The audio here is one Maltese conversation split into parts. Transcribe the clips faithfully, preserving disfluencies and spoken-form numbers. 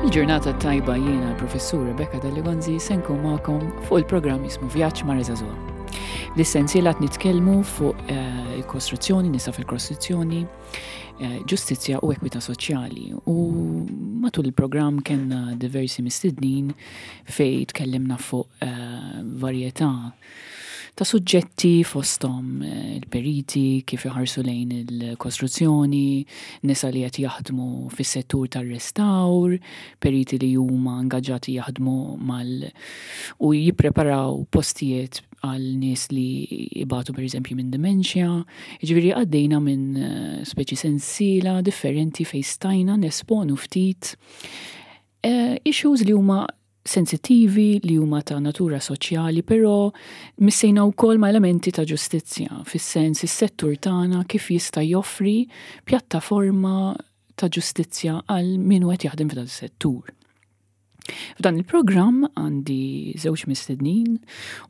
Il-ġurnata tajba, jiena l-professur Rebecca Dalli Gonzi, se nkun magħkom fuq il-programm jismu Vjaġġ ma' Żagħżugħa. L-essenzjali qed nitkellmu fuq eh, il-kostruzzjoni, nisa fil-kostruzzjoni, eh, ġustizzja u ekwità soċjali. U matul il-programm kellna diversi mistednin fej tkellimna fuq eh, varjetà ta' suġġetti, fosthom eh, il-periti, kif iħarsu lejn il-kostruzzjoni, nisa li qed jaħdmu fis-settur tar-restawr, periti li huma ingaġġati jaħdmu mal u jippreparaw postijiet għal nies li ibatu, per eżempju, minn dementia. Ġifieri għaddejna minn eh, speċi sensiela differenti fej stajna nesponu ftit eh, issues li huma sensittivi, li huma ta' natura soċjali, però missejna wkoll ma' elementi ta' ġustizzja, fis-sens is-settur tagħna kif jista' joffri pjattaforma ta' ġustizzja għal min qed jaħdem f'dan is-settur. F'dan il-programm għandi żewġ mistednin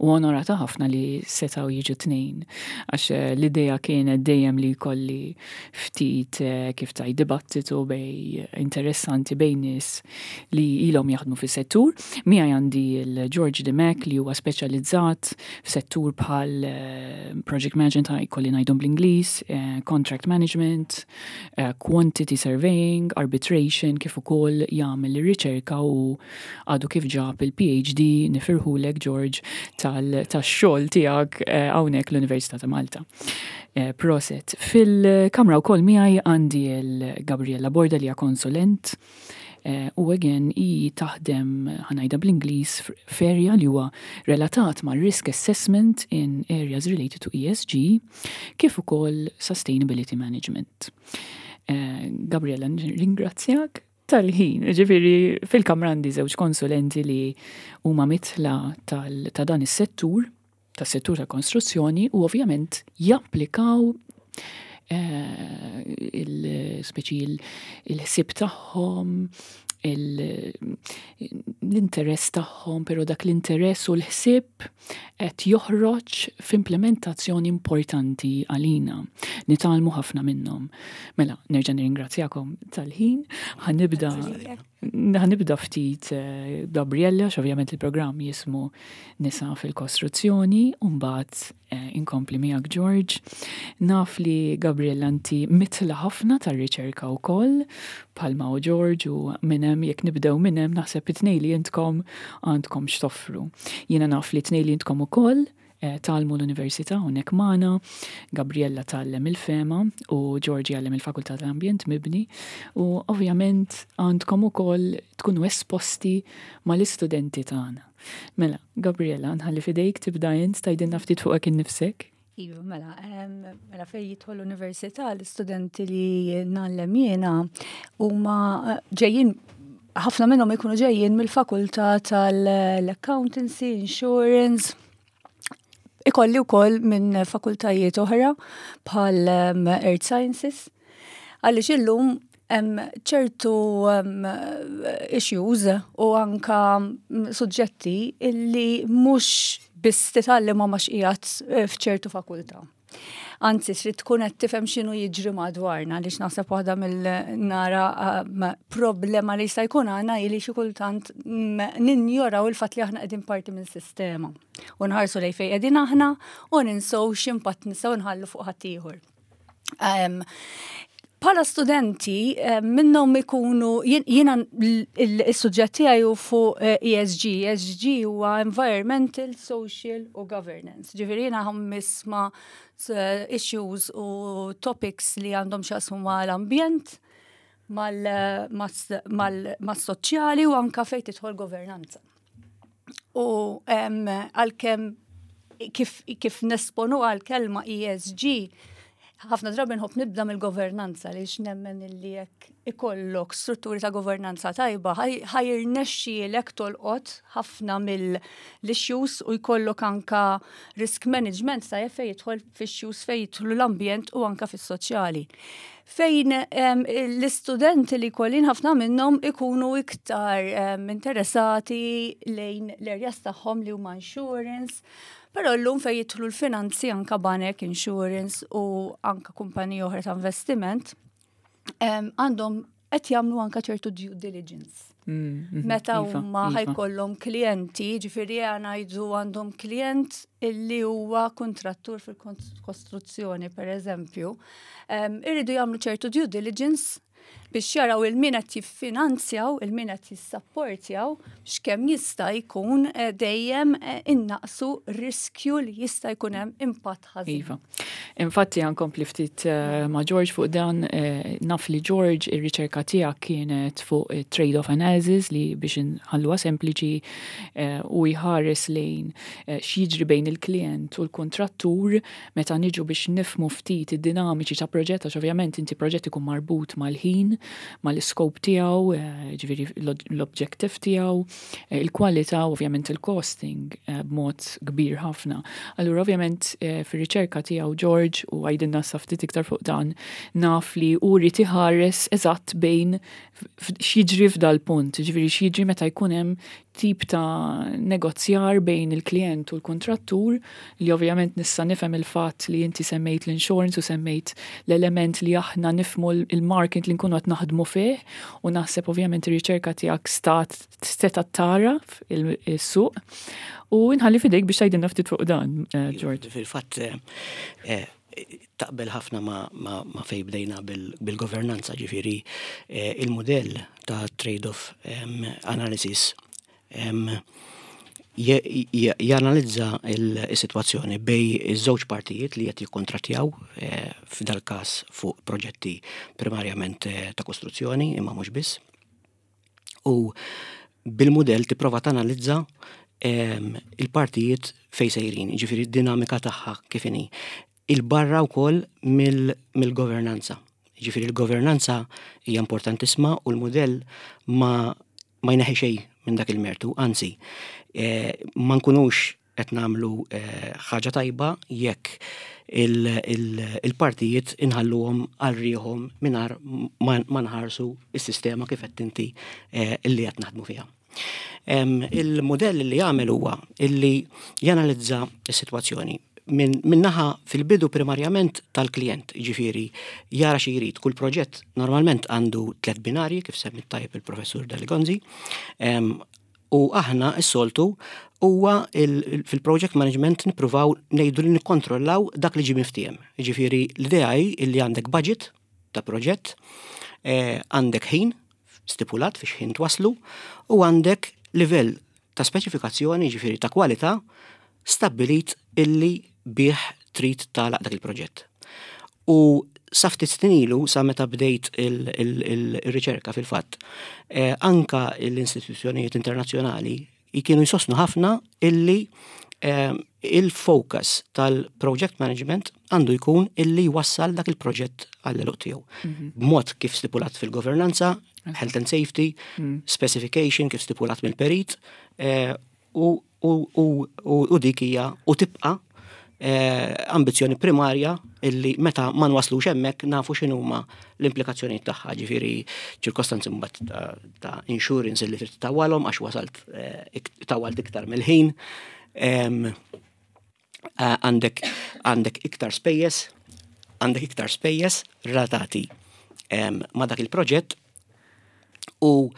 u onorata ħafna li setaw jiġu tnejn, għax eh, l-idea kienet dejjem li jkolli ftit eh, kif taj dibattitu bej interessanti bejn nies li ilhom jaħdmu fis-settur. Miegħi għandi il-George Dimech, li huwa speċjalizzat f'settur bħal eh, project management, jkolli ngħidhom bl-Ingliż, contract management, quantity surveying, arbitration, kif ukoll jagħmel ir-riċerka u għadu kif ġab il-P H D, nifirħulek, George, tal-xogħol tiegħek eh, hawnhekk l-Università ta' Malta. Eh, prosit. Fil-kamra wkoll miegħi għandi l-Gabriella Borda, li hija konsulent eh, u again i taħdem, ħa ngħidha bl-Ingliż, f'area li huwa relatat ma' risk assessment in areas related to E S G kif ukoll sustainability management. Gabriella, ringrazzjak tal-ħin. Ġifieri, fil-kamra għandi żewġ konsulenti li huma mitla ta' dan is-settur, tas-settur ta' konstruzzjoni, u ovvjament japplikaw eh, il-speċi il-ħsib tagħhom, l-interess tagħhom, però dak l-interess u l-ħsieb qed joħroġ f'implementazzjoni importanti għalina. Nitgħallmu ħafna minnhom. Mela, nerġa' nirringrazzjakom tal-ħin. Ħa nibda ħa nibda ftit eh, Gabriella, ovvjament il-programm jismu Nisa fil-Kostruzzjoni, u mbagħad eh, inkompli miegħek, George. Naf li, Gabriella, inti mitla ħafna tar-riċerka wkoll bħalma u George, u minn hemm, jekk nibdew minn hemm, naħseb it-tnejn li intkom għandkom x'toffru. Jiena naf li tnejn li intkom ukoll eh, tgħallmu l-Università hawnhekk magħna, Gabriella tgħallem il-FEMA u George jgħallem il-Fakultà tal-Ambjent Mibni, u ovvjament għandkom ukoll tkunu esposti mal-istudenti tagħna. Mela, Gabriella, nħalli fidejk tibda int tgħidilna ftit fuqek innifsek. Iva, mela, mela fej jidħol l-università, l-istudenti li ngħallem jiena huma eh, ġejjin, ħafna minnhom ikunu ġejjin mill-fakultà tal-accountancy, insurance. Ikolli wkoll minn fakultajiet oħra bħal Earth Sciences. Għaliex illum hemm ċertu issues u anka suġġetti illi mhux biss titgħallem ma qiegħed eh, f'ċertu fakultà. Anzi, trid tkun qed tifhem x'inhu jiġri madwarna, għaliex naħseb waħda mill-nara problema li jista' jkun għandna li xi kultant ninjoraw il-fatt li aħna qegħdin parti minn sistema. U nħarsu lejn fejn qegħdin aħna u ninsow x'impatt nistgħu nħallu fuq ħaddieħor. Bħala studenti, minnhom ikunu, jiena il-suġġett tiegħi fuq E S G. E S G huwa Environmental, Social u Governance. Ġifieri jiena nisma' issues u topics li għandhom x'jaqsmu mal-ambjent, mal-soċjali u anka fejn tidħol governanza. U għalkemm kif, kif nesponu għal-kelma E S G, ħafna drabi nħobb nibda mill-governanza, li nemmen illi jekk ikollok strutturi ta' governanza tajba, ħa jirnexxielek tolqot ħafna mill-issues u jkollok anka risk management ta' fejn jidħol fix-issues fejn jidħlu l-ambjent u anka fis-soċjali. Fejn l-istudenti li kollin, ħafna minnhom ikunu iktar interessati lejn l-areas tagħhom li huma insurance, però llum fejn jidħlu l-finanzi, anka banek, insurance u anka kumpaniji oħra ta' investiment, għandhom qed jagħmlu anka ċertu due diligence. Mm, mhm, Meta iva, huma iva. ħa jkollhom klijenti, ġifieri ngħidu għandhom klient illi huwa kontrattur fil-kostruzzjoni, per eżempju, em, irridu jagħmlu ċertu due diligence biex jaraw il-min qed jiffinanzjaw, il-min qed jissapportjaw, biex kemm jista' jkun eh, dejjem eh, innaqsu riskju li jista' jkun hemm impatt ħażin. Iva. Infatti ħa nkompli ftit eh, ma' George fuq dan, eh, naf li George, ir-riċerka tiegħek kienet fuq eh, trade-off analysis, li biex nħalluha sempliċi eh, u jħares lejn eh, x'jiġri bejn il-klient u l-kontrattur meta niġu biex nifmu ftit id-dinamiċi ta' proġett, għax ovvjament inti proġett ikun marbut mal-ħin, mal-scope tiegħu, eh, ġifieri l-objective tiegħu, eh, il-kwalità u ovvjament il-costing eh, b'mod kbir ħafna. Allura ovvjament eh, fir-riċerka tiegħu George, u għajdilna sa ftit iktar fuq dan, naf li uri tiħares eżatt bejn f- x'jiġri f'dal punt, ġifieri x'jiġri meta jkun hemm tip ta' negozjar bejn il-klient u l-kontrattur, li ovvjament nista' nifhem il-fatt li inti semmejt l-insurance u semmejt l-element li aħna nifmu il-market li nkunu qed naħdmu fih, u naħseb ovvjament ir-riċerka tiegħek stat seta tara il-suq u nħalli fidejk biex tgħidilna ftit fuq dan, eh, George. Fil-fatt, eh, eh, taqbel ħafna ma, ma, ma fej bdejna bil- bil-governanza, ġifieri eh, il-modell ta' trade-off em, analysis em, je- je- janalizza il-situazzjoni bejn iż-żewġ partijiet li qed jikkontrattjaw, eh, f'dal każ fuq proġetti primarjament eh, ta' kostruzzjoni, imma mhux biss. U bil-modell tipprova tanalizza em, il-partijiet fej sejrin, ġifieri d-dinamika tagħha kif inhi. Il-barra wkoll mill-governanza. Ġifieri il-governanza hija importantissima u l-modell ma ma jneħħi xejn minn dak il-mertu, anzi, eh, ma nkunux qed nagħmlu eh, ħaġa tajba jekk il-partijiet inħalluhom għal rieħhom mingħajr ma nħarsu is-sistema kif qed inti eh, illi qed naħdmu fiha. Il-modell li jagħmel huwa illi janalizza s-sitwazzjoni minn min naħa fil-bidu primarjament tal-klient, ġifieri jara xi jrid. Kull proġett normalment għandu tliet binarji, kif semmit tajjeb il-professur Dali Gonzi, u aħna s-soltu huwa fil-project management nippruvaw ngħidu li nikkontrollaw dak li ġi miftiem. Ġifieri l-idea hi illi għandek budget ta' proġett, eh, għandek ħin stipulat fiex ħin twaslu u għandek livell ta' speċifikazzjoni, ġifieri ta' kwalità, stabbilit illi bih trid tagħlaq dak il-proġett. U sa ftit snin ilu, sa meta bdejt il-riċerka fil-fatt, eh, anka l-istituzzjonijiet internazzjonali kienu jsostnu ħafna illi eh, il-focus tal-project management għandu jkun illi jwassal dak il-proġett għall-għeluq tiegħu. Mhm. B'mod kif stipulat fil-governanza, health and safety, mm. specification kif stipulat mill-perit, eh, u, u, u dik hija u tibqa' eh, ambizjoni primarja illi meta ma nwaslux hemmhekk nafu x'inhuma l-implikazzjonijiet tagħha, ġifieri ċirkostanzi mbagħad ta', ta insurance illi trid tawwalhom għax wasalt eh, tawwalt iktar mill-ħin. Għandek għandek iktar spejjeż, għandek iktar spejjeż relatati ma' dak il-proġett u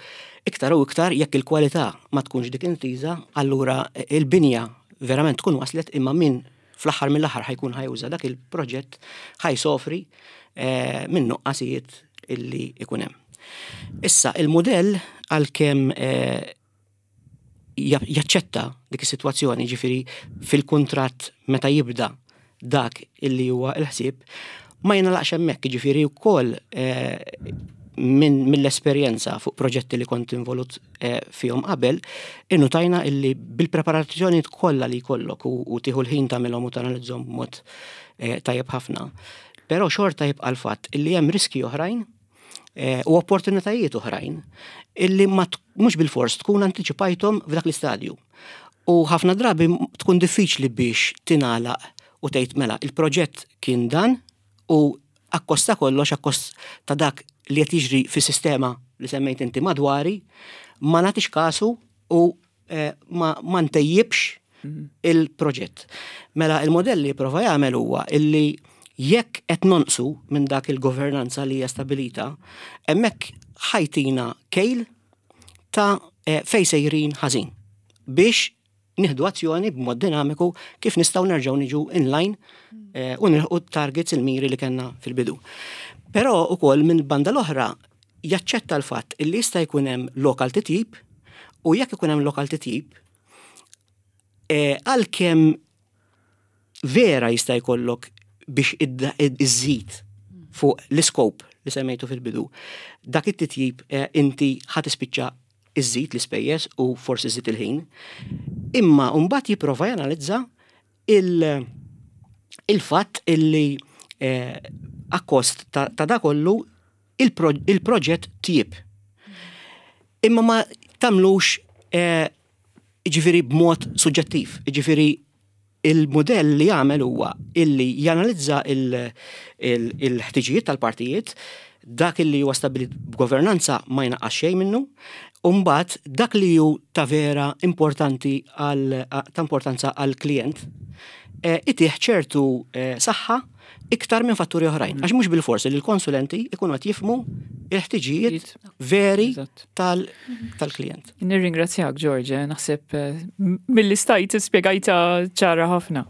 iktar u iktar jekk il-kwalità ma tkunx dik intiża, allura il-binja verament tkun waslet, imma min fl-aħħar mill-aħħar ħa jkun ħa juża dak il-proġett ħa jsofri eh, minn nuqqasijiet illi ikun hemm. Issa, il-modell, għalkemm eh, jaċċetta dik is-sitwazzjoni, ġifieri fil-kuntratt meta jibda dak illi huwa il-ħsieb, ma jingħalaqx hemmhekk, ġifieri wkoll eh, minn mill-esperjenza fuq proġetti li kont involut eh, fihom qabel, innutajna illi bil-preparazzjoni kollha li jkollok u, u tieħu l-ħin tagħmilhom u tanalizzhom b'mod eh, tajjeb ħafna. Però xorta jibqa' l-fatt illi hemm riski oħrajn eh, u opportunitajiet oħrajn illi ma mhux bil-fors tkun antiċipajthom f'dak l-istadju. U ħafna drabi tkun diffiċli biex tingħalaq u tgħid, mela il-proġett kien dan u akkost ta' kollox, akkost ta' dak li qed jiġri fis-sistema li semmejt inti madwari, ma nagħtix kasu u eh, ma, ma ntejjibx mhm. il-proġett. Mela il-modell li prova jagħmel huwa illi jekk qed nonqsu minn dak il-governanza li hija stabilita, hemmhekk ħa jtina kejl ta' eh, fej sejrin ħażin biex nieħdu azzjoni b'mod dinamiku kif nistgħu nerġgħu niġu inline eh, u nilħqu targets, il-miri li kellna fil-bidu. Però ukoll minn banda l-oħra jaċċetta l-fatt illi jista' jkun hemm lok għal titjib, u jekk ikun hemm lok għal titjib, eh, għalkemm vera jista' jkollok biex iżżid fuq l-scope li semmejtu fil-bidu. Dak it-titjib eh, inti ħa tispiċċa iżżid l-ispejjeż u forsi iżżid il-ħin. Imma mbagħad jipprova janalizza il-fatt illi eh, akkost ta' da kollu il-proġett tjieb. Imma ma tagħmlux eh, ġifieri b'mod suġġettiv, ġifieri il-modell li jagħmel huwa illi janalizza il-ħtiġijiet tal-partijiet, dak illi huwa stabbilit b'governanza ma jnaqqas xejn minnu, u mbagħad dak li hu ta' vera importanti għal ta' importanza għal klient eh, itih ċertu eh, saħħa iktar minn fatturi oħrajn. Għax mhux bil-forsi li l-konsulenti ikunu qed jifhmu il-ħtiġijiet veri tal-klient. Nirringrazzjak, George, eh, naħseb eh, mill-li stajt spiegajta ċara ħafna.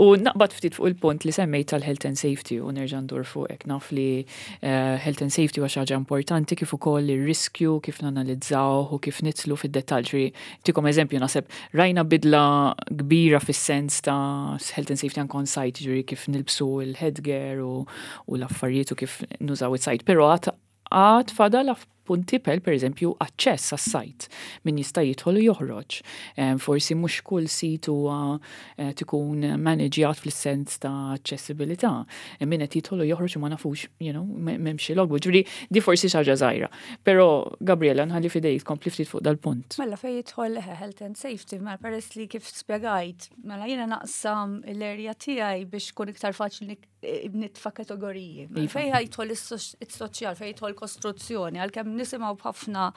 U naqbad ftit fuq il-punt li semmejt tal-health and safety u nerġa' ndur fuqek. Naf li eh, health and safety huwa xi ħaġa importanti, kif ukoll ir-riskju, kif nanalizzaw u kif nidħlu fid-dettall. Ntikom eżempju, naħseb rajna bidla kbira fis-sens ta' health and safety on site, ġifieri kif nilbsu il-headgear u, u l-affarijiet u kif nużaw it-site. Pero għad għad fadal punti per per eżempju aċċess għas-site, min jista' jidħol u joħroġ. Forsi mhux kull sit huwa eh, tkun manaġjat fl-sens ta' aċċessibilità. Min qed jidħol u joħroġ u ma nafux, you know, m'hemmx logbook. Ġifieri di forsi xi ħaġa żgħira. Però Gabriela, nħalli f'idejk kompli ftit fuq dal-punt. Mela, fejn jidħol health and safety, mela peress li kif spjegajt, mela jiena naqsam l-area tiegħi biex kun iktar faċli nitfa' kategoriji. Mela, iva. Fejn jidħol is-soċjal, fejn jidħol kostruzzjoni, għalkemm nisimgħu b'ħafna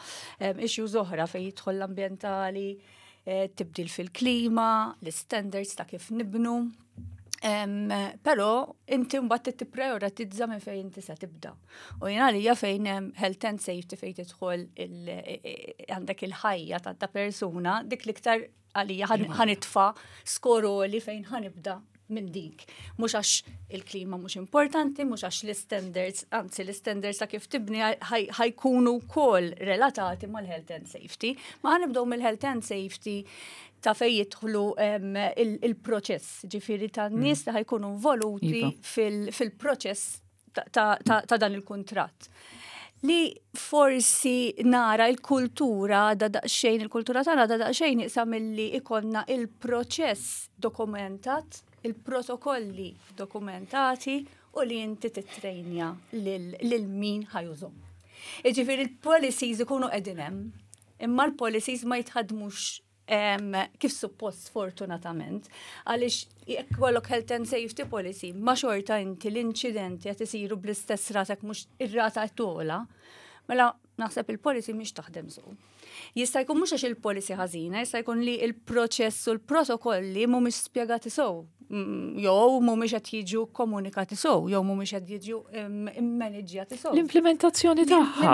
issues oħra fejn jidħol l-ambjentali, eh, tibdil fil-klima, l-standards ta' kif nibnu. Però inti mbagħad tipprioritizza minn fejn inti se tibda. U jiena għalija fejn hemm health and safety, fejn tidħol għandek il-ħajja ta' persuna, dik l-iktar għalija ħa nitfa' score li fejn ħa nibda minn dik. Mhux għax il-klima mhux importanti, mhux għax l-standards, anzi l-standards ta' kif tibni ħa jkunu wkoll relatati mal-health and safety. Ma ħa nibdew mill-health and safety ta' fej jidħlu il-proċess, ġifieri ta' nies li ħa jkunu involuti iva. fil-proċess ta' dan il-kuntratt. Li forsi nara il-kultura da daqxejn, il-kultura tagħna da daqxejn iqsa milli ikollna il-proċess dokumentat, il-protokolli dokumentati u li inti titrejnja lil min ħa jużahom. Iġifieri il-policies ikunu qegħdin hemm, imma l-policies ma jitħadmux kif suppost, fortunatament, għaliex jekk ikollok health and safety policy, ma xorta inti l-inċidenti qed isiru bl-istess rata, mhux ir-rata togħla, mela naħseb il-policy mhix taħdem sew. Jista' jkun mhux għax il-policy ħażina, jista' jkun li il-proċess u l-protokolli mhumiex spjegati sew, mm, jew mhumiex qed jiġu komunikati sew, jew mhumiex qed jiġu immaniġjati sew. L-implementazzjoni tagħha.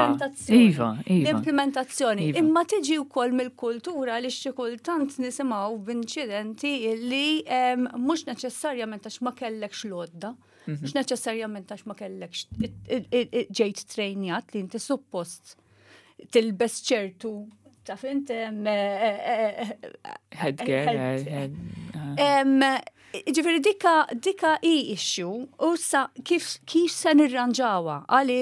Iva, iva. L-implementazzjoni. Iva. Imma tiġi wkoll mill-kultura li xi kultant nisimgħu b'inċidenti li mhux neċessarjament għax ma kellekx l-għodda, mhm. mhux neċessarjament għax ma kellekx ġejt trejnjat li inti suppost tilbes ċertu, taf int headgear. Ġifieri dika dika i issue u sa kif kif se nirranġawha għali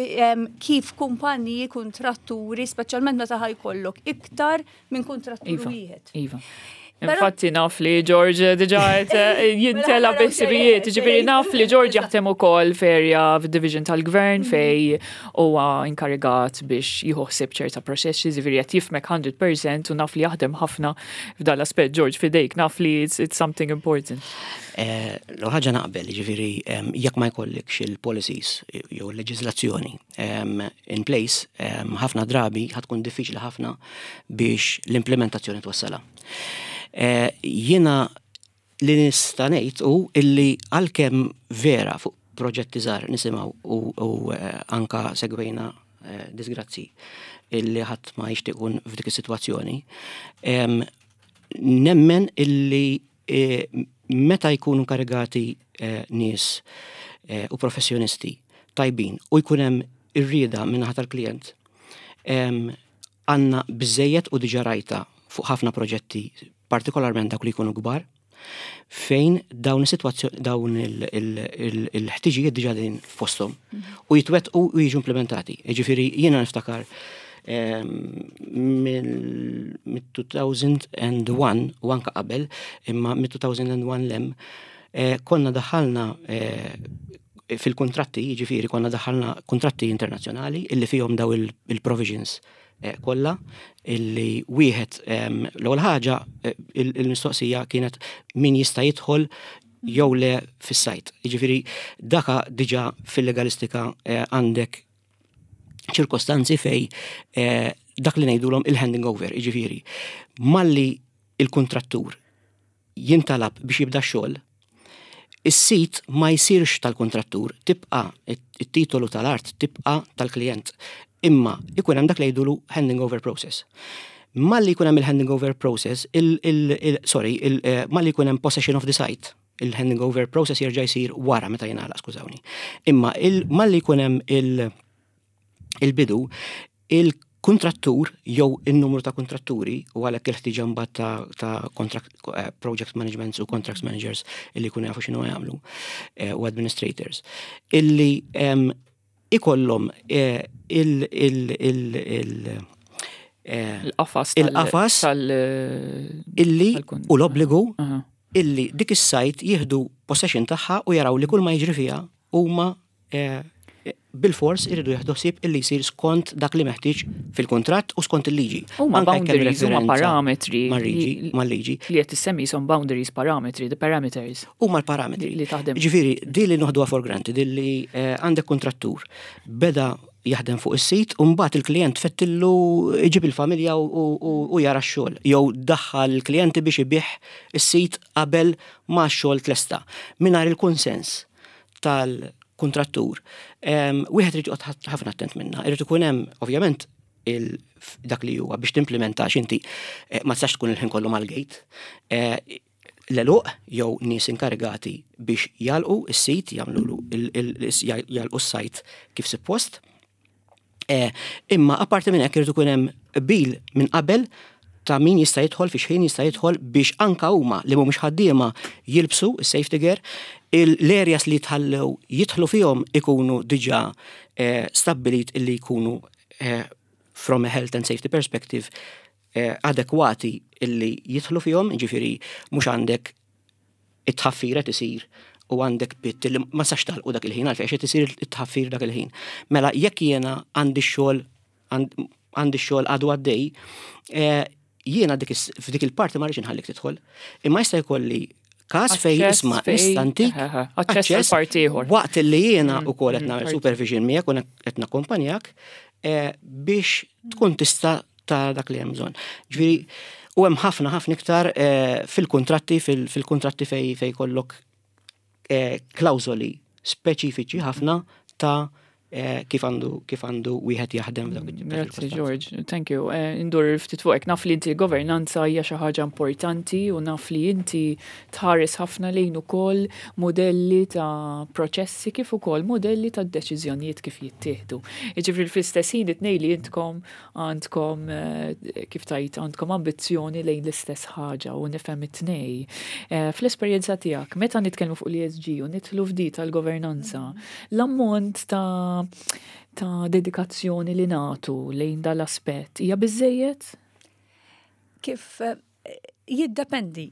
kif kumpaniji kontratturi, speċjalment meta ħa jkollok iktar minn kontrattur iva, wieħed. Iva. Infatti naf li George diġa eh, jintela biħsibijiet, ġifieri naf li George jaħdem ukoll f'area f'division tal-gvern mhm. fej huwa inkarigat biex jieħu ħsieb ċerta proċessi, ġifieri qed jifhmek mija fil-mija u naf li jaħdem ħafna f'dal aspett. George, f'idejk, naf li it's, it's something important. Eh, l-ħaġa naqbel, ġifieri jekk ma jkollikx il-policies jew il-leġiżlazzjoni in place, ħafna drabi ħa tkun diffiċli ħafna biex l-implementazzjoni twassalha. Eh, jiena li nista' ngħid u illi għalkemm vera fuq proġetti żgħar nisimgħu u eh, anka segwejna eh, disgrazzi illi ħadd ma jixtieq ikun f'dik is-sitwazzjoni. Nemmen illi eh, meta jkunu karigati eh, nies u professjonisti tajbin u jkun hemm ir-rieda min-naħa tal-klient, għandna biżejjed u diġà rajta fuq ħafna proġetti, partikolarment dak li jkunu kbar, fejn dawn is-sitwazzjoni, dawn il-ħtiġijiet diġà din f'posthom u jitwettqu u jiġu implementati. Jiġifieri jiena niftakar mill-elfejn u wieħed u anka qabel, imma mill-elfejn u wieħed 'l hemm, eh, konna daħalna eh, fil-kontratti, jiġifieri konna daħalna kontratti internazzjonali illi fihom daw il-provisions eh, kollha illi wieħed, l-ewwel ħaġa, eh, il-mistoqsija kienet min jista' jidħol jew le fis-site. Jiġifieri daka diġà fil-legalistika eh, għandek ċirkostanzi fej dak li ngħidulhom il-handing over, jiġifieri malli il-kontrattur jintalab biex jibda xogħol, is-sit ma jsirx tal-kontrattur, tibqa it-titolu tal-art tibqa tal-klient. Imma ikun hemm dak li jgħidulu handing over process. Malli jkun hemm il-handing over process, il, il, il, sorry, il, eh, malli jkun hemm possession of the site, il-handing over process jerġa' jsir wara meta jingħalaq, skużawni. Imma il, malli jkun hemm il, il-bidu, il-kontrattur jew il-numru ta' kontratturi u għalhekk il-ħtiġa mbagħad ta', ta contract, eh, project management u contracts managers illi jkunu jafu x'inhu jagħmlu eh, u administrators illi em, ikollhom eh, il, il, il, il, eh, Il-qafas tal- il-qafas tal- illi tal-kun- u l-obbligu Aha. illi dik is-site jieħdu possession tagħha u jaraw li kull ma jiġri fiha huma eh, bil-fors iridu jieħdu ħsieb illi jsir skont dak li meħtieġ fil-kuntratt u skont il-liġi. Huma Anke jekk hemm boundaries, huma referenza parametri mal-liġi, li- mal-liġi, li qed issemmi son boundaries, parametri, the parameters huma l-parametri. li li taħdem. Ġifieri, di li noħduha for granted, di li eh, għandek kontrattur beda jaħdem fuq is-sit u mbagħad il-klient fettillu iġib il-familja u, u, u, u jara x-xogħol jew daħħal il-klijenti biex ibih is-sit qabel ma x-xogħol tlesta. Mingħajr il-konsens tal-kontrattur. Em, Wieħed irid joqgħod ħafna attent minna. Irid ikun hemm ovvjament il dak li huwa biex timplementa x'inti eh, ma tistax tkun il-ħin kollu mal-gate. Eh, L-għeluq jew nies inkarigati biex jagħlqu is-sit, jagħmlu jagħlqu s-site kif suppost. Eh, Imma apparti minn hekk irid ikun hemm bil minn qabel ta' min jista' jidħol, fi xħin jista' jidħol, biex anka huma li mhumiex ħaddiema jilbsu is-safety gear, l-areas li jitħallew jidħlu fihom ikunu diġà eh, stabbilit illi jkunu eh, from a health and safety perspective eh, adekwati illi jidħlu fihom, ġifieri mhux għandek it-tħaffir qed isir u għandek pit li ma sax tagħlqu dak il-ħin għalfejn qed isir it-tħaffir dak il-ħin. Mela jekk jiena għandi x-xogħol għandi x-xogħol għadu għaddej, eh, jiena dik is- f'dik il-parti ma rridx inħallik tidħol. Imma jista' jkolli każ fej Aċċess isma' fej- nista' ntik Eħe, aċċess għal parti ieħor. Waqt li jiena ukoll qed nagħmel parti. supervision miegħek u qed nakkompanjak eh, biex tkun tista' ta' dak li hemm bżonn. Ġifieri u hemm ħafna ħafna iktar eh, fil-kontratti fil- fil-kontratti fej fej kollok eh, klawżoli speċifiċi ħafna ta' eh, kif għandu kif għandu wieħed jaħdem f'dawk it-tip ta' Grazzi ċirkostanzi. George, thank you. Eh, Indur ftit fuqek, naf li inti governanza hija xi ħaġa importanti u naf li inti tħares ħafna lejn ukoll modelli ta' proċessi kif ukoll modelli ta' deċiżjonijiet kif jittieħdu. Jiġifieri fl-istess ħin it-tnejn li intkom għandkom eh, kif tajt għandkom ambizzjoni lejn l-istess ħaġa u nifhem it-tnej. Eh, Fl-esperjenza tiegħek, meta nitkellmu fuq l-E S G u nidħlu f'di tal-governanza, l-ammont ta' ta' dedikazzjoni li nagħtu lejn dal-aspett hija biżejjed? Kif eh, jiddependi.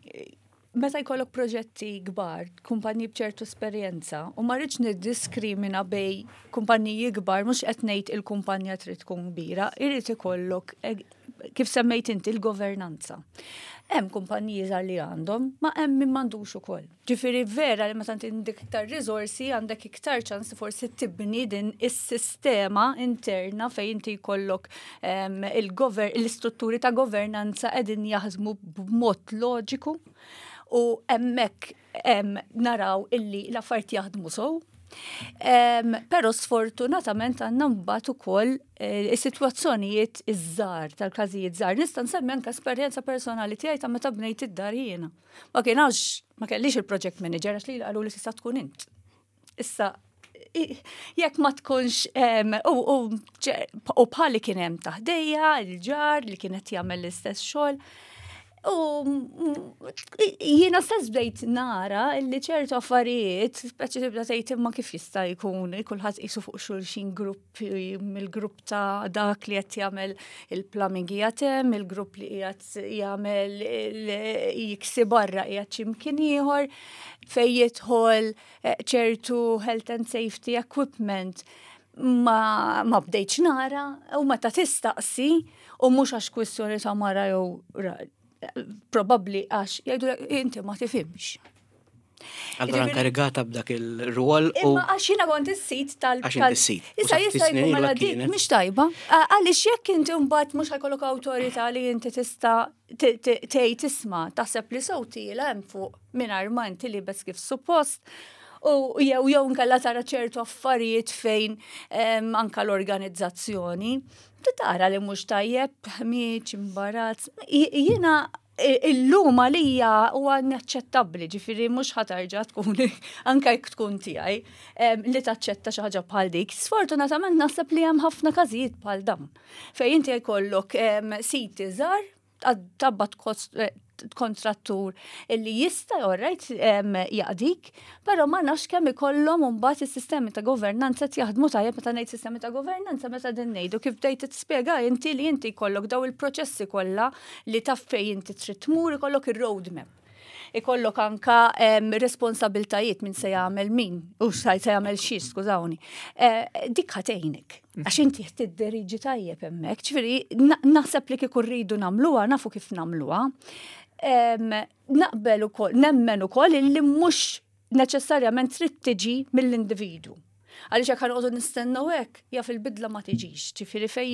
Meta jkollok proġetti kbar, kumpaniji b'ċertu esperjenza, u ma rridx niddiskrimina bejn kumpaniji kbar, mhux qed ngħid il-kumpanija trid tkun kbira, irid ikollok eh, kif semmejt inti il-governanza. Hemm kumpaniji żgħar li għandhom, ma hemm min m'għandux ukoll. Ġifieri vera li meta inti għandek iktar riżorsi, għandek iktar ċans forsi tibni din is-sistema interna fejn inti jkollok em, il-gover l-istrutturi ta' governanza qegħdin jaħdmu b'mod loġiku u hemmhekk em, naraw illi l-affarijiet jaħdmu sow. Però sfortunatament għandna mbagħad ukoll eh, is-sitwazzjonijiet iż-żgħar tal-każijiet żgħar. Nista' nsemmi anke esperjenza personali tiegħi ta' meta bnejt id-dar jiena. Ma kienx ma kellix il-project manager għax li qalu li tista' tkun int. Issa jekk ma tkunx u bħali kien hemm ta' ħdejja, il-ġar li kienet jagħmel l-istess xogħol. U jiena stess bdejt nara li ċertu affarijiet, speċi tibda tgħid imma kif jista' jkun kulħadd qisu fuq xulxin grupp mill-grupp ta' dak li qed jagħmel il-plumbing qiegħed hemm, il-grupp li qiegħed jagħmel jiksi barra qiegħed x'imkien ieħor fejn jidħol eh, ċertu health and safety equipment ma, ma bdejtx nara u meta tistaqsi u mhux għax kwistjoni ta' mara jew probabli għax jgħidu inti ma tifhimx. Allora inkarigata b'dak il-rwol u. Imma għax jiena kont is-sit tal. Għax inti s-sit. Issa jista' jkun mela dik mhix tajba. Għaliex jekk inti mbagħad mhux ħa jkollok awtorità li inti tista' tgħid isma' taħseb li sew tiela hemm fuq mingħajr ma inti libes kif suppost. U jew jew nkella tara ċertu affarijiet fejn anka l-organizzazzjoni. Tara li mhux tajjeb, ħmieġ, imbarazz. Jiena illum għalija huwa inaċċettabbli, ġifieri mhux ħa terġa' tkun anke jekk tkun tiegħi li taċċetta xi ħaġa bħal dik. Sfortunatament naħseb li hemm ħafna każijiet bħal dawn. Fejn inti jkollok siti żgħar taqbad kontrattur illi jista' alright jaqdik, però ma nafx kemm ikollhom mbagħad is-sistemi ta' governanza jaħdmu tajjeb. Meta ngħid sistemi ta' governanza, meta din ngħidu kif bdejt tispjega inti li inti jkollok daw il-proċessi kollha li taf fejn inti trid tmur, ikollok ir-roadmap, ikollok anka responsabiltajiet minn se jagħmel min u se jagħmel xi, skużawni. Eh, dik ħa tgħinek. Għax inti tidderieġi tajjeb hemmhekk, ġifieri naħseb li kieku rridu nagħmluha nafu kif nagħmluha. Naqbel ukoll, nemmen ukoll li mhux neċessarjament trid tiġi mill-individu. Għaliex jekk ħa noqogħdu nistennew hekk, jaf il-bidla ma tiġix. Ġifieri fej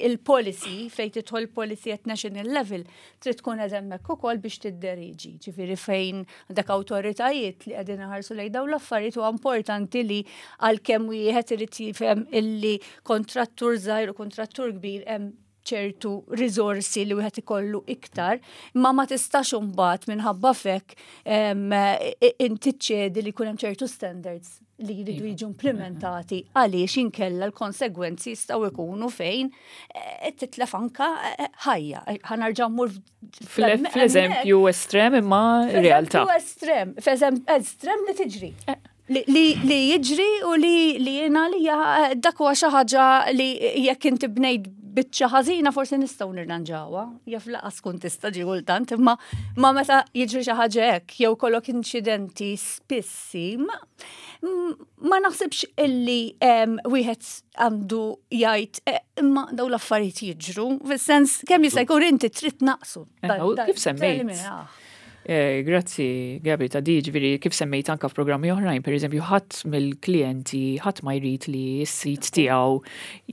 il-policy, fej tidħol policy at national level, trid tkun qed hemmhekk ukoll biex tidderiġi. Ġifieri fejn dak awtoritajiet li qegħdin iħarsu lejn dawn l-affarijiet huwa importanti li għalkemm wieħed irid jifhem illi kontrattur żgħir u kontrattur kbir hemm ċertu risorsi li wieħed ikollu iktar, imma ma tistax imbagħad minħabba fek inti ċedi li jkun hemm ċertu standards li jridu jiġu implementati, għaliex inkella l-konsegwenzi jistgħu jkunu fejn eh, titlef anka eh, ħajja. Ħa nerġa' mmur Fl-eżempju estrem imma realtà. Fl-eżempju estrem, f'eżempju estrem li tiġri. Eh. Li, li jiġri u li li jena li dak huwa xi ħaġa li jekk inti bnejt biċċa ħażina forsi nistgħu nirranġawha, jaf laqas tkun tista' ġi kultant, imma ma meta jiġri xi ħaġa hekk jew kollok inċidenti spissi, ma, ma naħsibx illi wieħed għandu jgħid eh, imma daw l-affarijiet jiġru, fis-sens kemm jista' jkun inti trid naqsu. Eh, kif semmejt? Eh, grazzi, Gabi, ta' di ġifieri kif semmejt anka f'programmi oħrajn, per eżempju, ħadd mill-klijenti, ħadd ma jrid li s-sit tiegħu,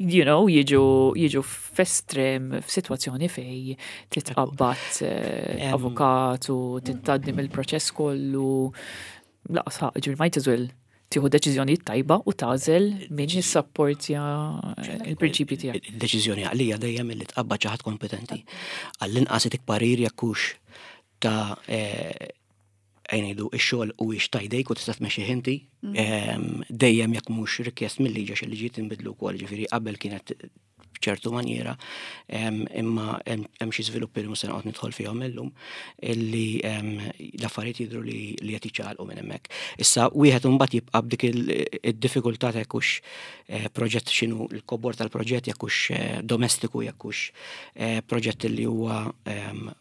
you know, jiġu jiġu f'estrem f'sitwazzjoni fej titqabbad eh, avukat u tgħaddi mill-proċess kollu. Laqas ħaq, ġifieri might as well tieħu deċiżjoni tajba u tagħżel min jissapportja il-prinċipji tiegħek. Il-deċiżjoni għalija dejjem li tqabbad xi ħadd kompetenti. Għall-inqas itik parir jekk hux ta' eh, ngħidu ix-xogħol u ix ta' jdejk u tista' tmexxih inti, mm. ehm, dejjem jekk mhux rikjest mill-liġi, għax il-liġi tinbidlu wkoll, ġifieri qabel kienet b'ċertu maniera, ehm, imma hemm xi żviluppi li mhux se noqgħod nidħol fihom illum illi ehm, l-affarijiet jidhru li li qed jiċċaqalqu minn hemmhekk. Issa wieħed imbagħad jibqa' b'dik id-diffikultà ta' jekk hux eh, proġett, x'inhu l-kobor tal-proġett, jekk hux eh, domestiku, jekk hux proġett li huwa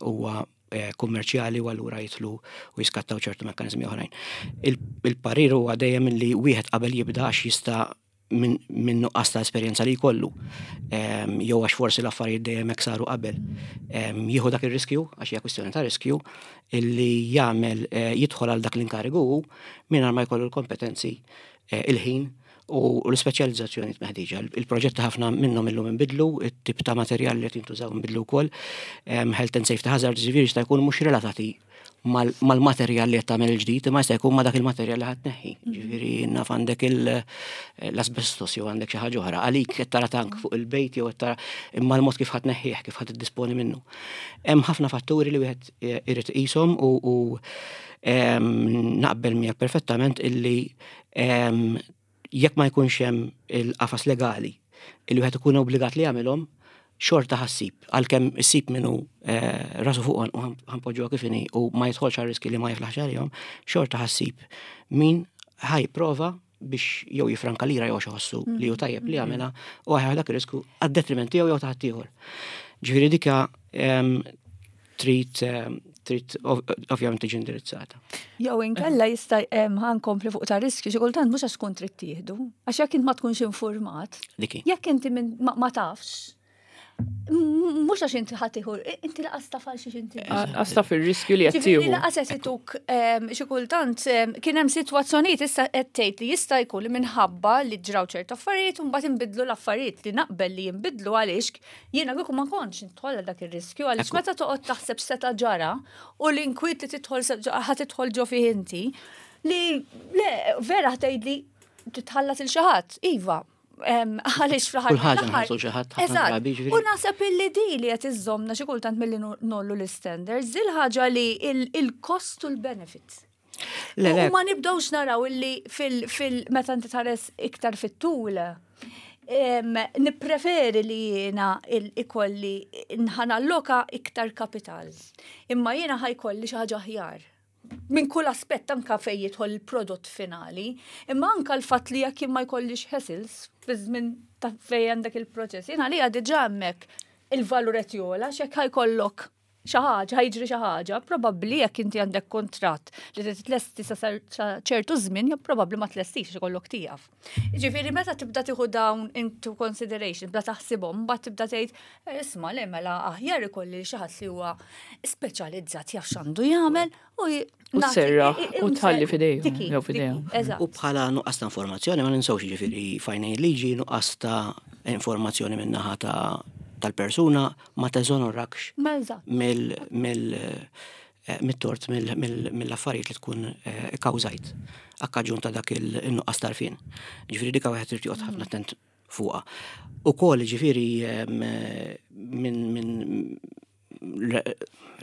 huwa Eh, kummerċjali u allura jidħlu u jiskattaw ċertu mekkanizmi oħrajn. Il-parir huwa dejjem li wieħed qabel jibda, għax jista' minn nuqqas ta' esperjenza li jkollu, jew għax forsi l-affarijiet dejjem hekk saru qabel, jieħu dak ir-riskju, għax hija kwistjoni ta' riskju, illi jagħmel eh, jidħol għal dak l-inkarigu mingħajr ma jkollu l-kompetenzi, eh, il-ħin u l-speċjalizzazzjoni meħtieġa. Il-proġetti ħafna minnhom illum inbidlu, it-tip ta' materjal li qed jintużaw inbidlu wkoll, health and safety hazards ġifieri jista' jkun mhux relatati Mal-materjal li qed tagħmel il-ġdid, imma jista' jkun ma' dak il-materjal li ħa tneħħi. Ġifieri naf għandek l-asbestos jew għandek xi ħaġa oħra. Għalik qed tara tank fuq il-bejt jew qed tara imma l-mod kif ħa tneħħih, kif ħa tiddisponi minnu. Hemm ħafna fatturi li wieħed irid iqishom u naqbel miegħek perfettament illi jekk ma jkunx hemm il-qafas legali illi wieħed ikun obbligat li jagħmilhom, xorta ħa ssib, għalkemm issib min hu eh, rasu fuq u ħa npoġġuha kif inhi u ma jidħolx għal riski li ma jiflaħx għalihom, xorta ħa ssib min ħa jipprova biex jew jifranka lira jew iħossu li hu tajjeb li jagħmilha u ħa dak ir-risku għad-detriment tiegħu jew ta' ħaddieħor. Ġifieri dika trid trid ovvjament tiġi indirizzata. Jew inkella jista' ħa nkompli fuq ta' riskju, xi kultant mhux għax tkun trid tieħdu, għax jekk int ma tkunx informat, jekk inti ma tafx, mhux għax inti ħa tieħu, inti lanqas taf għal xiex inti. Lanqas taf ir-riskju li qed tieħu. Lanqas qed ituk xi kultant kien hemm sitwazzjonijiet, issa qed tgħid li jista' jkun li minħabba li ġraw ċertu affarijiet u mbagħad inbidlu l-affarijiet, li naqbel li jinbidlu, għaliex jiena kieku ma kontx nidħol dak ir-riskju, għaliex meta toqgħod taħseb seta' ġara u l-inkwiet li tidħol ħa tidħol ġo fih inti li le vera tgħidli titħallas lil xi ħadd, iva, għaliex fl-aħħar. Kull ħaġa nħallsu xi ħadd ħafna drabi, ġifieri. U naħseb illi di li qed iżżommna xi kultant milli ngħollu l-standards, il-ħaġa li il-cost u l-benefit. Le, le. U ma nibdewx naraw illi fil meta inti tħares iktar fit-tul, nippreferi li jiena ikolli ħa nalloka iktar kapital. Imma jiena ħa jkolli xi ħaġa aħjar minn kull aspett, anka fejn jidħol il-prodott finali, imma anka l-fatt li jekk ma jkollix hassles fi żmien ta' fejn għandek il-proċess. Jiena li diġà hemmhekk il-valur qed jogħla, x'hekk ħa jkollok xi ħaġa, ħa jiġri xi ħaġa, probabbli jekk inti għandek kontratt li tlesti sa ċertu żmien, jew probabbli ma tlestix, ikollok tieqaf. Ġifieri meta tibda tieħu dawn into consideration, tibda taħsibhom, mbagħad tibda tgħid, eh, isma' le, mela aħjar ikolli xi ħadd li huwa speċjalizzat, jaf x'għandu jagħmel u U tserraħ u tħalli f'idejhom, jew f'idejhom. U bħala nuqqas ta' informazzjoni ma ninsewx, ġifieri f'għajnejn liġi nuqqas ta' informazzjoni min-naħa ta' tal-persuna ma teżonorakx mill eh, mit-tort mill-affarijiet li tkun eh, kkawżajt akkaġun ta' dak il-nuqqas t'għarfien. Ġifieri dika wieħed irid joqgħod ħafna attent fuqha. Ukoll ġifieri minn min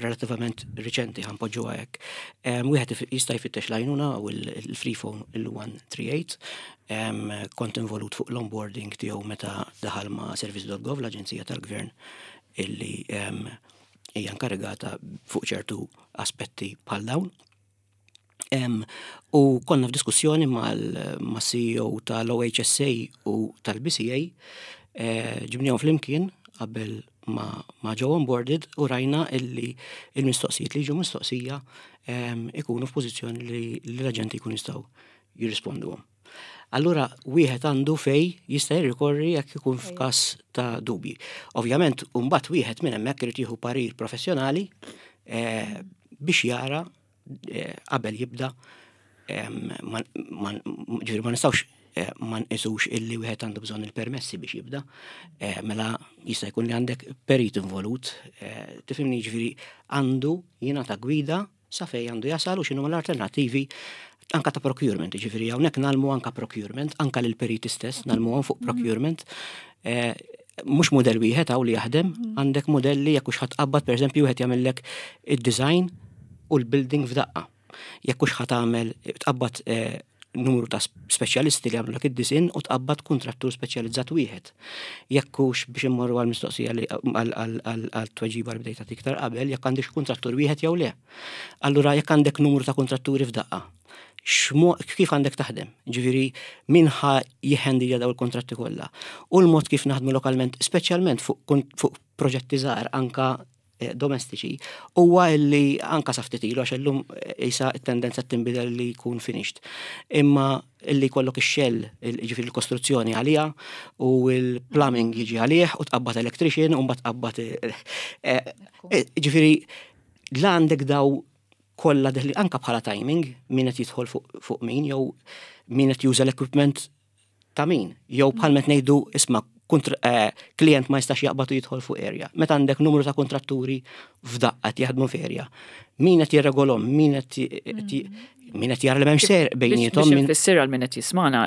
relativament riċenti, ħa npoġġuha hekk. Wieħed jista' jfittex l-għajnuna u l-free phone il-mija u tmienja u tletin. Kont involut fuq l-onboarding tiegħu meta daħal ma' service punt gov, l-Aġenzija tal-Gvern illi hija inkarigata fuq ċertu aspetti bħal dawn. U konna f'diskussjoni mal-C E O tal-O H S A u tal-B C A, eh, ġibnihom flimkien qabel ma, ma ġew onboarded u rajna illi il-mistoqsijiet li ġew mistoqsija ikunu f'pożizzjoni li l-aġenti jkunu jistgħu jirrisponduhom. Allura wieħed għandu fej jista' jirrikorri jekk ikun f'każ ta' dubji. Ovvjament, mbagħad wieħed minn hemmhekk irid jieħu parir professjonali eh, biex jara eh, qabel jibda. Ġifieri ma nistgħux eh, ma nqisux illi wieħed għandu bżonn il-permessi biex jibda, mela jista' jkun li għandek perit involut, tifhimni, ġifieri għandu jingħata gwida sa fej għandu jasal u x'inhu l-alternattivi anka ta' procurement, ġifieri hawnhekk ngħallmu anka procurement, anka lil periti stess ngħallmuhom fuq procurement. Eh, mhux modell wieħed hawn li jaħdem, mhm. għandek modelli jekk hux ħa tqabbad, pereżempju, wieħed jagħmellek id-design u l-building f'daqqa. Jekk hux ħa tagħmel tqabbad eh, numru ta' speċjalisti li għamlu id-design u tqabbad kontrattur speċjalizzat wieħed. Jekk hux biex immorru għal-mistoqsija li għal-tweġiba li bdejta iktar qabel, jekk għandix kontrattur wieħed jew le. Allura jekk għandek numru ta' kontratturi f'daqqa, kif għandek taħdem? Ġifieri, min ħa jihhandilja daw il-kontratti kollha? U l-mod kif naħdmu lokalment, speċjalment fuq proġetti żgħar, anka eh, domestiċi, huwa illi anka sa ftit ilu, għax illum eh, isa t-tendenza tinbidel li jkun finished. Imma illi jkollok ix-shell, ġifieri l-kostruzzjoni għalija u l-plumbing jiġi għalih u tqabbad electrician u mbagħad tqabbad eh, ġifieri la għandek daw kollha deħli anka bħala timing, min qed jidħol fuq min jew min qed juża l-equipment ta' min jew bħal met ngħidu isma' eh, klient ma jistax jaqbad u jidħol fuq area. Meta għandek numru ta' kontratturi f'daqqa jaħdmu f'area. Min qed jirregolhom, min qed min qed jara li m'hemmx serq bejniethom. Biex infisser għal min qed jismana,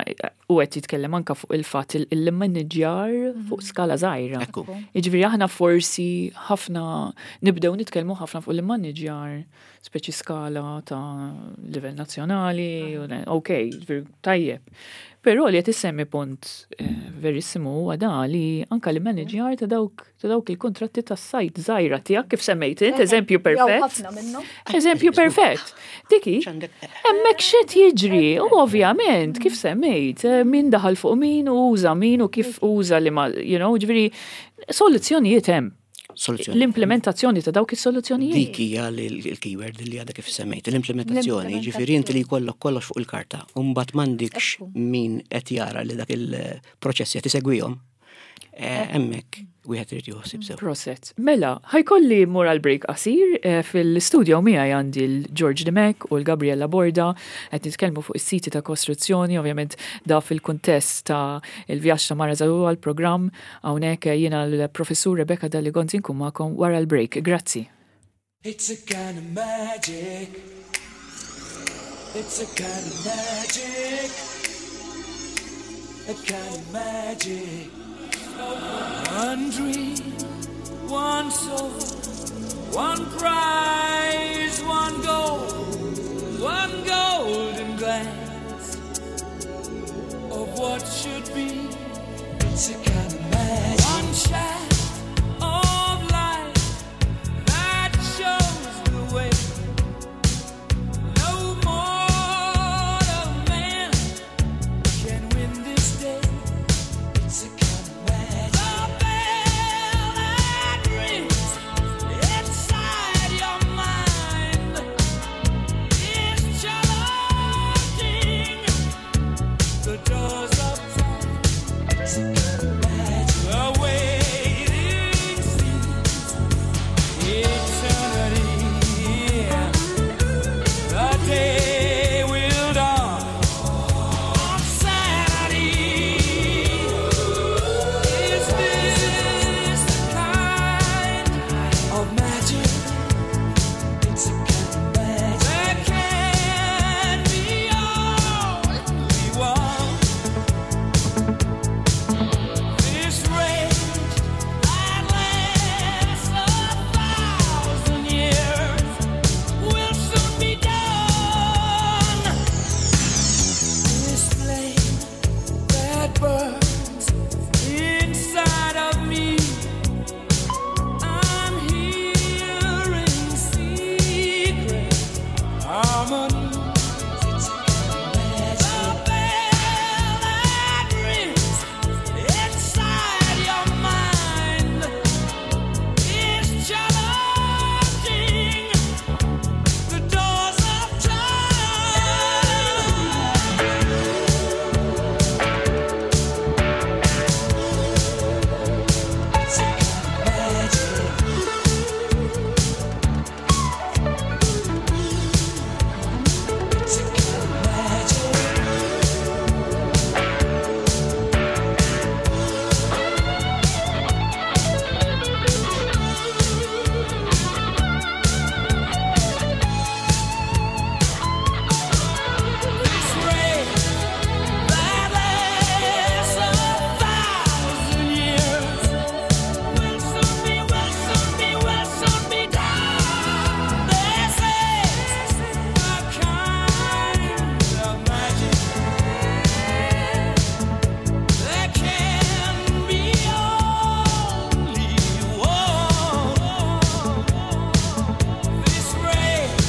u qed jitkellem anka fuq il-fatt il-manager fuq skala żgħira. Ekku. Jiġifieri aħna forsi ħafna nibdew nitkellmu ħafna fuq il-manager speċi skala ta' livell nazzjonali, ok, jiġifieri tajjeb. Però li qed issemmi punt eh, verissimu huwa da li anka li manager ta' dawk ta' dawk il-kontratti tas-sajt żgħira tiegħek kif semmejt int, eżempju perfett. Ħafna minnhom. Eżempju perfett. Diki, hemmhekk x'qed jiġri, u ovvjament kif semmejt, eh, min daħal fuq min u uża min u kif uża li ma, you know, ġifieri soluzzjonijiet hemm. Soluzzjoni. L-implementazzjoni ta' dawk is-soluzzjonijiet. Dik hija l-keyword li għadha kif semmejt, l-implementazzjoni, ġifieri inti li jkollok kollox fuq il-karta, u mbagħad m'għandikx min qed jara li dak il-proċessi qed isegwihom. Eh, hemmhekk wieħed irid joħsib sew. Proset. Mela, ħa jkolli mmur għal break qasir eh, fil-studio miegħi għandi l-George Dimech u l-Gabriella Borda qed nitkellmu fuq is-siti ta' kostruzzjoni, ovvjament da fil-kuntest ta' il-vjaġġ ta' Mara Żagħżugħa l-programm hawnhekk jiena l-professur Rebecca Dalli Gonzi nkun magħkom wara l-break. Grazzi. It's a kind of magic. It's a kind of magic. A kind of magic. One dream, one soul, one prize, one goal, one golden glance of what should be. It's a kind of magic. One shaft of light that shows the way. No mortal man can win this day. It's a kind of magic. The bell that rings inside your mind is challenging the doors of time. It's a kind of magic. The waiting seems eternity. The day will dawn on sanity. Is this the kind of magic? It's a kind of magic. There can be only one. This rage that lasts a thousand years will soon be done. This flame that burns inside of me, I'm hearing secret harmonies. It's a kind of magic. The bell that rings inside your mind is challenging the doors of time. It's a kind of magic. It's a kind of magic. This rage that lasts a thousand years will soon be, will soon be, will soon be done. This is the kind of magic. There can be only one. This rage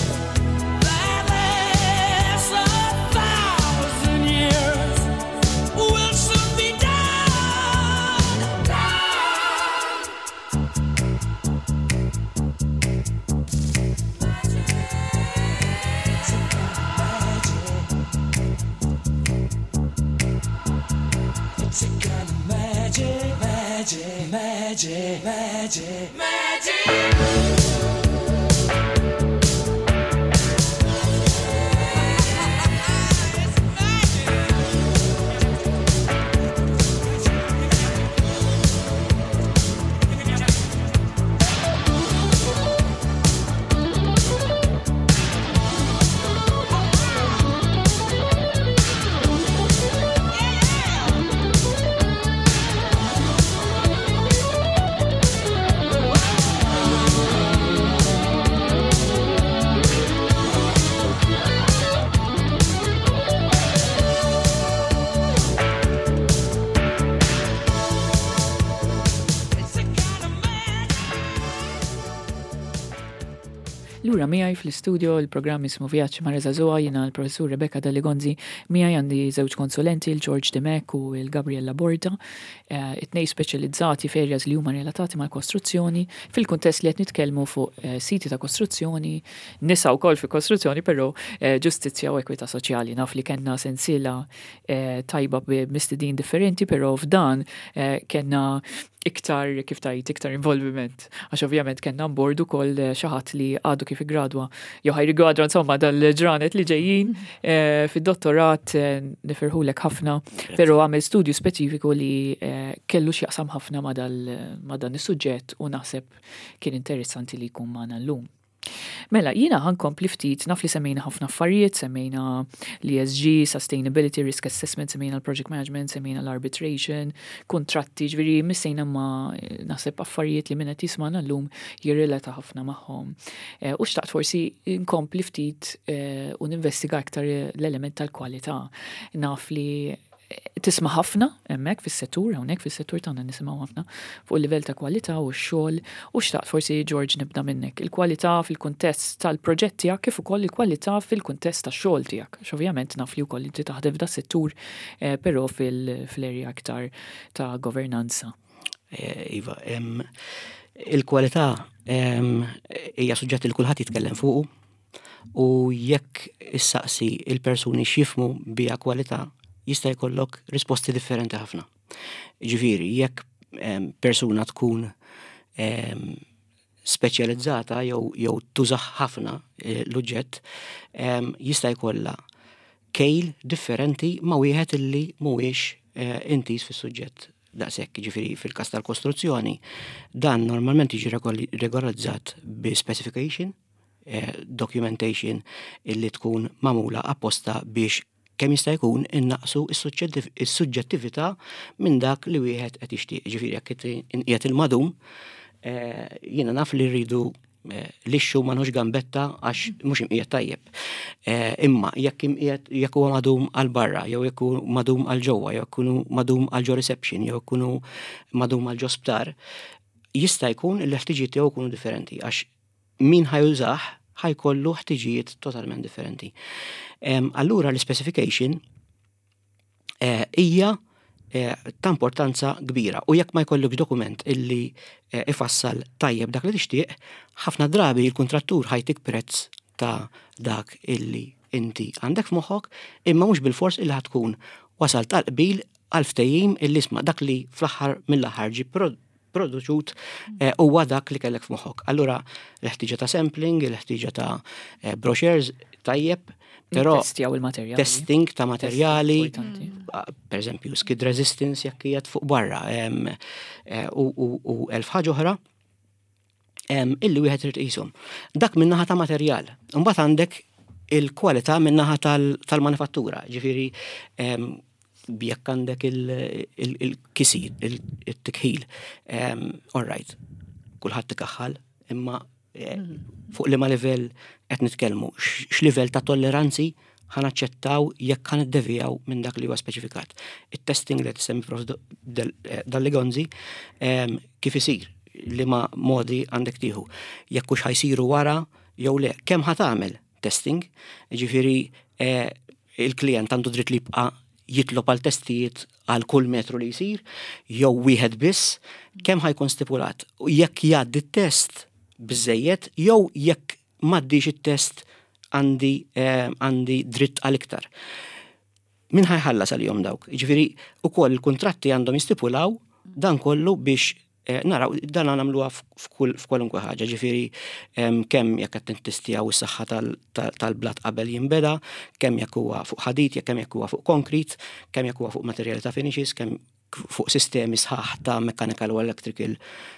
that lasts a thousand years will soon be done. Done. It's a kind of magic. It's a kind of magic, magic, magic, magic, magic. It's magic. Lura miegħi fl-istudio, il-programm jismu Vjaġġ ma' Żagħżugħa, jiena l-professur Rebecca Dalli Gonzi, miegħi għandi żewġ konsulenti, il-George Dimech u il-Gabriella Borda, eh, it-tnejn speċjalizzati f'areas li huma relatati mal-kostruzzjoni, fil-kuntest li qed nitkellmu fuq eh, siti ta' kostruzzjoni, nisa wkoll fi kostruzzjoni, però eh, ġustizzja u ekwità soċjali. Naf li kellna sensiela tajba b'mistedin differenti, però f'dan kellna iktar, kif tajt, iktar involviment. Għax ovvjament kellna on board ukoll xi ħadd li għadu kif gradwa, jew ħa jiggradwa insomma dal-ġranet li ġejjin eh, fid-dottorat, eh, nifirħulek ħafna, però għamel studju speċifiku li eh, kellu x'jaqsam ħafna ma' dan is-suġġett u naħseb kien interessanti li jkun magħna llum. Mela, jiena ħa nkompli ftit, naf li semmejna ħafna affarijiet, semmejna l-E S G, Sustainability, Risk Assessment, semmejna l-Project Management, semmejna l-Arbitration, kontratti, ġifieri missejna ma naħseb affarijiet li min qed jismagħna llum jirrelata ħafna magħhom. Eh, u xtaqt forsi nkompli ftit eh, u ninvestiga aktar l-element tal-kwalità. Naf li tisma' ħafna hemmhekk fis-settur, hawnhekk fis-settur tagħna nisimgħu ħafna fuq il-livell ta' kwalità u x-xogħol u xtaqt forsi, George, nibda minnek. Il-kwalità fil-kuntest tal-proġett tiegħek kif ukoll il-kwalità fil-kuntest tax-xogħol tiegħek. Ovvjament naf li wkoll inti taħdem f'da settur, eh, però fil-area aktar ta' governanza. Eh, iva, il-kwalità hija suġġett li kulħadd jitkellem fuqu u jekk issaqsi il-persuni x'jifhmu biha kwalità, jista' jkollok risposti differenti ħafna. Ġifieri, jekk persuna tkun speċjalizzata jew jew tużaħ ħafna eh, l-uġġett, jista' jkollha kejl differenti ma' wieħed illi mhuwiex eh, intiż fis-suġġett daqshekk. Ġifieri fil-każ tal-kostruzzjoni, dan normalment jiġi regolarizzat bi specification, eh, documentation illi tkun magħmula apposta biex kemm jista' jkun innaqsu is-suġġettività minn dak li wieħed qed jixtieq. Ġifieri jekk qiegħed il-madum, eh, jiena naf li rridu eh, lixxu ma nħux gambetta għax mhux imqiegħed tajjeb. Eh, imma jekk imqiegħed, jekk huwa madum għal barra, jew jekk hu madum għal ġewwa, jew jekk hu madum għal ġo reception, jew jekk hu madum għal ġo sptar, jista' jkun li l-ħtiġijiet tiegħu jkunu differenti għax min ħa jużah ħa jkollu ħtiġijiet totalment differenti. Allura l-specification eh, hija eh, ta' importanza kbira u jekk ma jkollok dokument illi eh, ifassal tajjeb dak li tixtieq, ħafna drabi il-kontrattur ħa jtik prezz ta' dak illi inti għandek f'moħħok, imma mhux bil-fors illi ħa tkun wasal tal-qbil għal ftehim illi isma' dak li fl-aħħar mill-aħħar ġi produċut eh, huwa dak li kellek f'moħħok. Allura l-ħtiġa ta' sampling, l-ħtiġa ta' eh, brochures tajjeb, però Testjaw il-materjali. Testing ta' materjali, Importanti. per eżempju, skid resistance jekk qiegħed fuq barra, em, eh, u, u, u elf ħaġa oħra em, illi wieħed irid iqishom. Dak min-naħa ta' materjal. Imbagħad għandek il-kwalità min-naħa tal- tal-manifattura, ġifieri em, jekk għandek il-kisir, il-tikħil, all right, kulħadd tikaħħal, imma eh, fuq liema livell qed nitkellmu, x'livell ta' tolleranzi ħa naċċettaw jekk ħa niddevijaw minn dak li huwa speċifikat. Il-testing li tissemmi Prof Dalli Gonzi, kif isir, liema modi għandek tieħu. Jekk hux ħa jsiru wara jew le, kemm ħa tagħmel testing, ġifieri eh, il-klient għandu dritt li jibqa' jitlob għal testijiet għal kull metru li jsir, jew wieħed biss, kemm ħa jkun stipulat. U jekk jgħaddi t-test biżejjed, jew jekk m'għaddix it-test għandi eh, għandi dritt għal iktar. Min ħa jħallas għalihom dawk? Ġifieri ukoll il-kontratti għandhom jistipulaw dan kollu biex eh, naraw dan nagħmluha f'kwalunkwe ħaġa, ġifieri kemm jekk qed nittestjaw is-saħħa tal-blat qabel jinbeda, kemm jekk huwa fuq ħadid, kemm jekk huwa fuq konkrit, kemm jekk huwa fuq materjali ta' finishes, kemm fuq sistemi sħaħ ta' mechanical u electrical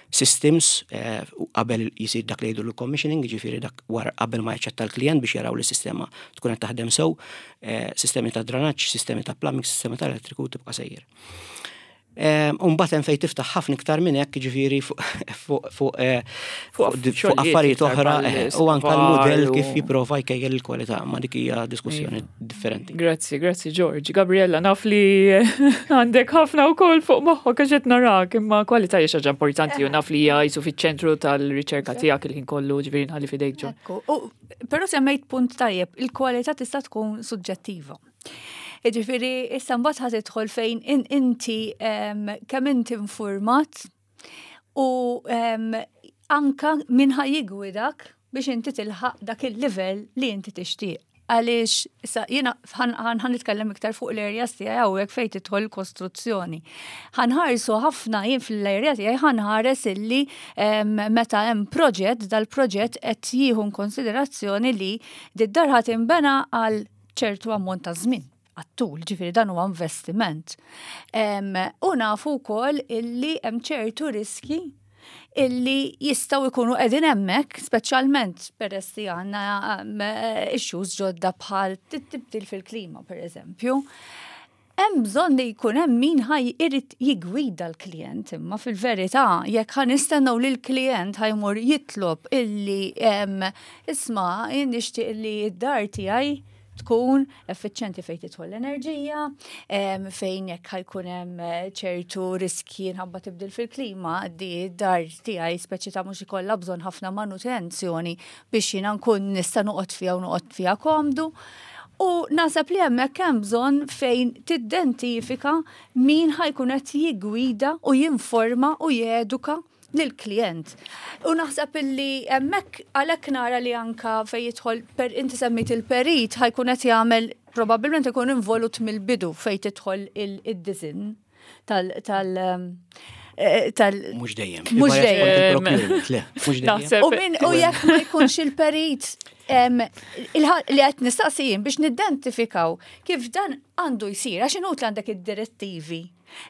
systems eh, qabel jisir dak li jgħidu l-commissioning, ġifieri dak wara qabel ma jaċċetta l-klient biex jaraw li s-sistema tkun qed taħdem sew, eh, sistemi ta' dranaġġ, sistemi ta' plumbing, sistemi ta' elettriku, tibqa' sejjer. Umbagħad hemm fejn tiftaħ ħafna iktar minn hekk, ġifieri fuq eh, fuq affarijiet oħra eh, u anke l-mudell kif jipprova jkejjel il-kwalità, ma dik hija diskussjoni differenti. Grazzi, grazzi George. Gabriella, naf li għandek ħafna wkoll fuq moħħok għax qed narak, imma kwalità hija ħaġa importanti u naf li hija jisu fiċ-ċentru tal-riċerka tiegħek il-ħin kollu, ġifieri nħalli f'idejk George. Però semmejt punt tajjeb, il-kwalità tista' tkun suġġettiva. Ġifieri, issa mbagħad ħa tidħol fejn inti kemm inti informat u anka min ħa jiggwidak biex inti tilħaq dak il-livell li inti tixtieq. Għaliex, issa jiena ħa nitkellem iktar fuq l-areas tiegħi hawnhekk fejn tidħol kostruzzjoni. Ħa nħarsu ħafna jien fl-area tiegħi, ħa nħares illi meta hemm proġett, dal-proġett qed jieħu konsiderazzjoni li d-dar ħa tinbena għal ċertu ammont ta' żmien għat-tul, ġifieri dan huwa investiment. U nafu wkoll illi hemm ċertu riski illi jistgħu jkunu qegħdin hemmhekk, speċjalment peress li għandna issues ġodda bħal tibdil fil-klima, per eżempju. Hemm bżonn li jkun hemm min ħa jrid jiggwida l-klient, imma fil-verità jekk ħa nistennew li l-klient ħa jmur jitlob illi, "Isma', jien nixtieq li d-dar tiegħi tkun effiċjenti fejn tidħol l-enerġija, fejn jekk ħa jkun hemm eh, ċertu riski nħabba tibdil fil-klima, di dar tiegħi speċi ta' mhux ikollha bżonn ħafna manutenzjoni biex jiena nkun nista' noqgħod fiha u noqgħod fiha komdu." U naħseb li hemmhekk hemm bżonn fejn tidentifika min ħa jkun qed jiggwida u jinforma u jeduka lill-klient. U naħseb illi hemmhekk għalhekk nara li anka fejn jidħol per inti semmit il-perit ħa jkun qed jagħmel, probabbilment ikun involut mill-bidu fejn tidħol il-design tal tal eh, tal Mhux dejjem. Mhux dejjem. Le, mhux dejjem. U min u jekk ma jkunx il-perit li qed nistaqsijin biex nidentifikaw kif dan għandu jsir, għax inutli għandek id-direttivi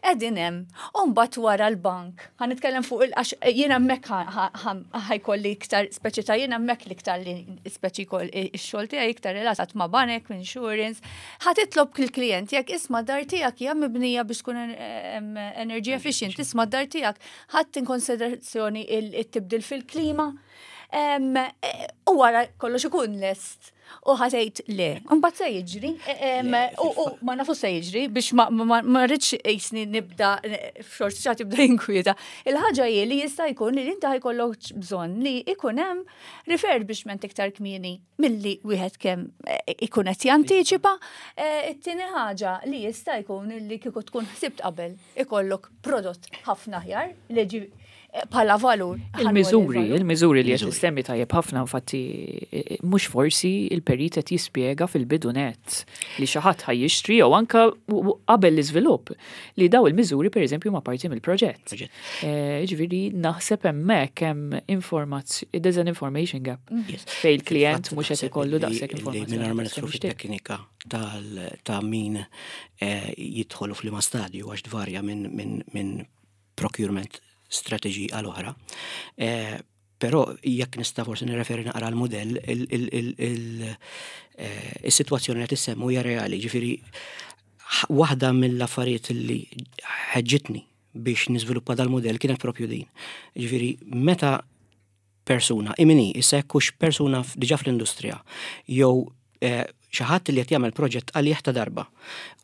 qegħdin hemm, u mbagħad wara l-bank. Ħa nitkellem fuq il għax jien hemmhekk ħa jkolli iktar speċi ta' jien hemmhekk l-iktar li speċi kol ix-xogħol tiegħi iktar relatat ma' banek, insurance. Ħa titlob il-klient jekk, "Isma', dar tiegħek hija mibnija biex tkun energy efficient, isma', dar tiegħek ħadt in konsiderazzjoni il-tibdil fil-klima?" U wara kollox ikun lest u ħa tgħid le. Mbagħad se jiġri, u ma nafu se jiġri biex ma rridx qisni nibda forsi xa tibda jinkwieta. Il-ħaġa hi li jista' jkun li inti ħa jkollok bżonn li ikun hemm refurbishment iktar kmieni milli wieħed kemm eh, ikun qed jantiċipa. Eh, it-tieni ħaġa li jista' jkun li kieku tkun ħsibt qabel ikollok prodott ħafna aħjar li bħala valur. Il-miżuri, il-miżuri li qed issemmi tajjeb ħafna, infatti mhux forsi il-perit qed jispjega fil-bidu net li xi ħadd ħa jixtri jew anka qabel l-iżvilupp li daw il-miżuri, pereżempju, ma parti mill-proġett. Eh, ġifieri naħseb hemmhekk hemm informazzjoni, there's an information gap mm. fejn il-klient mhux qed ikollu daqshekk informazzjoni. Mingħajr ma nidħlu fit-teknika ta' min eh, jidħolu f'liema stadju, għax tvarja minn procurement strategy għal oħra. Eh, però jekk nista' forsi nirreferi naqra l-modell, il-sitwazzjoni li tissemmu hija reali, ġifieri waħda mill-affarijiet li ħeġġitni biex niżviluppa dal-modell kienet propju din. Ġifieri meta persuna, imini, issa jekkux persuna diġà fl-industrija, jew eh, xi ħadd li qed jagħmel proġett għalih ta' darba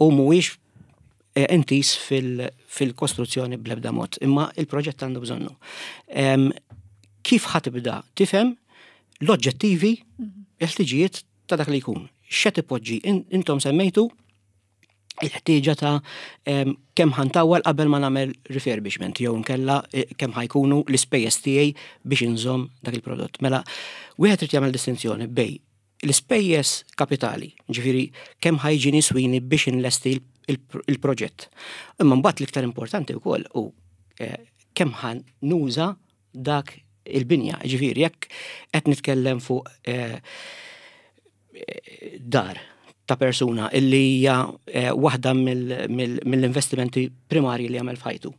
u mhuwiex eh, intiż fil-kostruzzjoni bl-ebda mod, imma il-proġett għandu bżonnu. Kif ħa tibda tifhem l-oġġettivi, il-ħtiġijiet ta' dak li jkun? X'qed ipoġġi? Intom semmejtu il-ħtieġa ta' kemm ħa ntawwal qabel ma nagħmel refurbishment jew nkella eh, kemm ħa jkunu l-ispejjeż tiegħi biex inżomm dak il-prodott. Mela, wieħed irid jagħmel distinzjoni bejn l-ispejjeż kapitali, ġifieri kemm ħa jiġini jiswini biex inlesti il-proġett. Imma mbagħad l-iktar importanti wkoll u eh, kemm ħa nuża dak il-binja, ġifieri jekk qed nitkellem fuq eh, dar ta' persuna illi hija eh, waħda mill-investimenti primarji li jagħmel f'ħajtu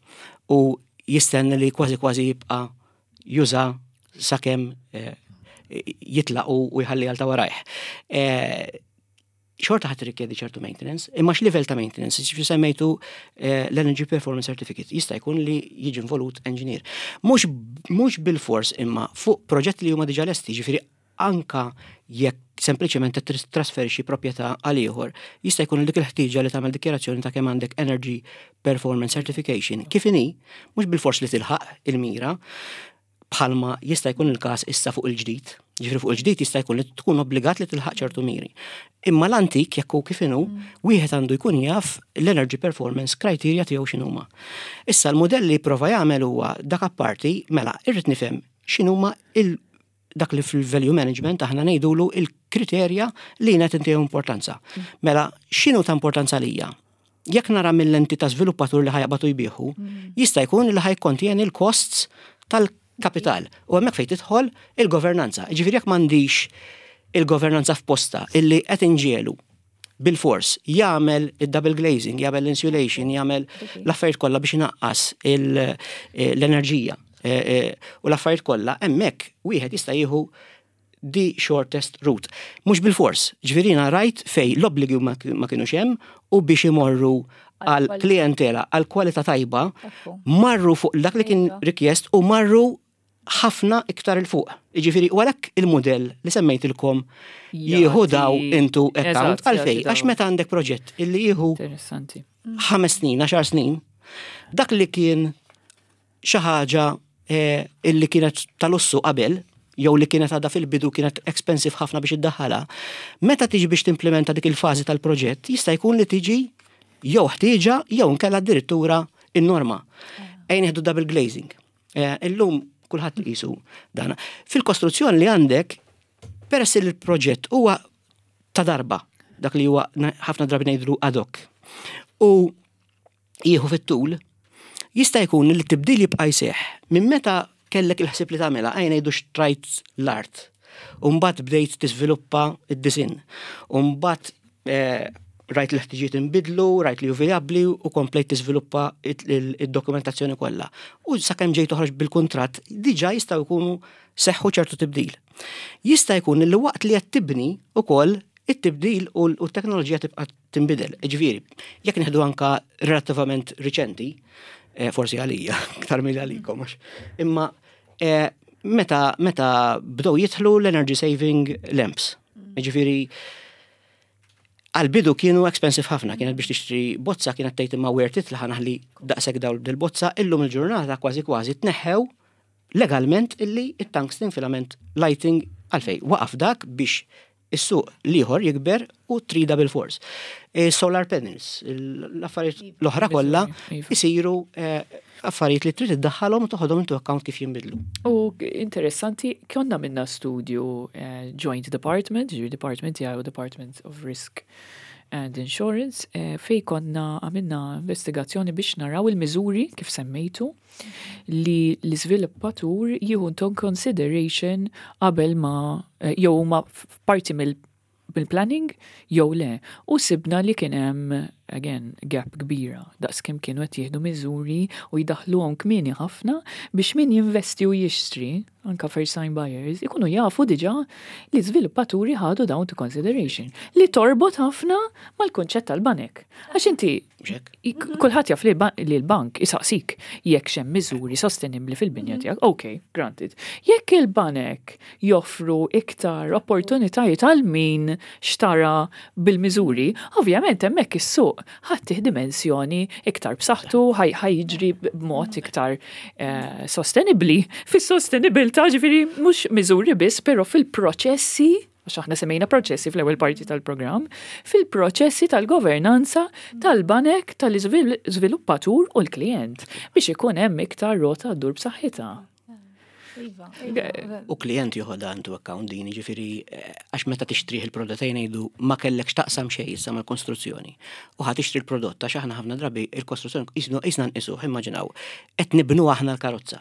u jistenni li kważi kważi jibqa' juża sakemm eh, jitlaq u jħalli għal ta' warajh. Xorta ħa tirrikjedi ċertu maintenance, imma x'livell ta' maintenance? Ġifieri semmejtu eh, l-Energy Performance Certificate, jista' jkun li jiġi involut engineer. Mhux mhux bil-fors, imma fuq proġetti li huma diġà lesti, ġifieri anka jekk sempliċement qed trasferixxi proprjetà għal ieħor, jista' jkun dik il-ħtieġa li tagħmel dikjarazzjoni ta' kemm għandek Energy Performance Certification. Kif inhi, mhux bil-fors li tilħaq il-mira, bħalma jista' jkun il-każ issa fuq il-ġdid. Ġifieri fuq il-ġdid jista' jkun li tkun obbligat li tilħaq ċertu miri. Imma l-antik, jekk hu kif inhu, wieħed għandu jkun jaf l-energy performance criteria tiegħu x'inhuma. Issa l-modell li prova jagħmel huwa dak apparti, mela irrid nifhem x'inhuma il dak li fil-value management aħna ngħidulu il-kriterja li qed intihom importanza. Mela x'inhu ta' importanza lija? Jekk nara mill-lenti ta' żviluppatur li ħa jaqbad u jbigħu, jista' jkun li ħa jikkontjeni l-costs tal-kapital. U hemmhekk fejn tidħol il-governanza. Ġifieri jekk m'għandix il-governanza f'posta illi qed inġiegħlu bil-fors jagħmel id-double glazing, jagħmel l-insulation, jagħmel l-affarijiet kollha biex inaqqas il- l-enerġija eh, eh, u l-affarijiet kollha, hemmhekk wieħed jista' jieħu the shortest route. Mhux bil-fors, ġifieri rajt fejn l-obbligi ma ma kienux hemm u biex imorru għal klientela, għal kwalità tajba, Ekku. marru fuq dak li kien Iva. rikjest u marru ħafna iktar 'il fuq. Jiġifieri, u għalhekk il-modell li semmejtilkom jieħu daw into account. Eżatt, għalfej, jagħti għax daw. meta għandek proġett illi jieħu Interessanti. ħames snin, għaxar snin, dak li kien xi ħaġa eh, illi kienet tal-lussu qabel, jew li kienet għadha fil-bidu kienet expensive ħafna biex iddaħħalha, meta tiġi biex timplementa dik il-fażi tal-proġett, jista' jkun li tiġi jew ħtieġa jew nkella addirittura in-norma. Ejn nieħdu double glazing. Eh, Illum kulħadd qisu dana. Fil-kostruzzjoni li għandek, peress li l-proġett huwa ta' darba, dak li huwa ħafna drabi ngħidlu ad hoc. U jieħu fit-tul, jista' jkun li t-tibdil jibqa' jseħħ minn meta kellek il-ħsieb li tagħmilha, għajn ngħidu xtrajt l-art. U mbagħad bdejt tiżviluppa id-disinn. U mbagħad eh, rajt l-ħtiġijiet inbidlu, rajt li hu vijabbli u komplejt tiżviluppa id-dokumentazzjoni kollha. U sakemm ġejt toħroġ bil-kuntratt, diġà jistgħu jkunu seħħu ċertu tibdil. Jista' jkun li waqt li qed tibni ukoll it-tibdil u t-teknoloġija tibqa' tinbidel. Ġifieri, jekk nieħdu anka relattivament riċenti, eh, forsi għalija, iktar milli għalikom, imma eh, meta meta bdew jidħlu l-energy saving lamps. Ġifieri, għal-bidu kienu expensive ħafna, kienet biex tixtri bozza, kienet tgħid imma worth it li ħa naħli daqshekk dawl dil-bozza? Illum il-ġurnata kważi kważi tneħħew legalment illi it-tungsten filament lighting. Għalfej, waqaf dak biex is-suq l-ieħor jikber u trida bil-fors. E, solar panels, l-affarijiet l-oħra kollha Iva. isiru eh, affarijiet li trid iddaħħalhom u toħodhom into account kif jinbidlu. U interessanti, konna minna studju eh, Joint Department, ġifieri Department tiegħi u Department of Risk and Insurance, eh, fej konna għamilna investigazzjoni biex naraw il-miżuri, kif semmejtu, li l-iżviluppatur jieħu into consideration qabel ma eh, jew huma parti mill bil-planning jew le. U sibna li kien hemm again gap kbira daqs kemm kienu qed jieħdu miżuri u jdaħluhom kmieni ħafna biex min jinvesti u jixtri, anka first time buyers, ikunu jafu diġà li żviluppaturi ħadu dawn to consideration, li torbot ħafna mal-kunċett tal-banek. Għax inti Mhux kulħadd jaf li ba- li l-bank isaqsik jekk hemm miżuri sostenibbli fil-binja tiegħek. Ok, granted. Jekk il-banek joffru iktar opportunitajiet għal min xtara bil-miżuri, ovvjament hemmhekk is-suq ħa ttih dimensjoni iktar b'saħħtu, ħa j- ħa jiġri b'mod iktar eh, sostenibbli. Fis-sostenibilità, ġifieri mhux miżuri biss, però fil-proċessi, għax aħna semmejna proċessi fl-ewwel parti tal-programm, fil-proċessi tal-governanza tal-banek, tal-iżviluppatur u l-klient biex ikun hemm iktar rota ddur b'saħħitha. Iva, iva. U klient joħodha into account din, ġifieri, eh, għax meta tixtrih il-prodott, ngħidu ma kellekx taqsam xejn issa mal-konstruzzjoni. U ħa tixtri l-prodott, għax aħna ħafna drabi il-kostruzzjoni qisna nqisuh, immaġinaw, qed nibnu aħna l-karozza.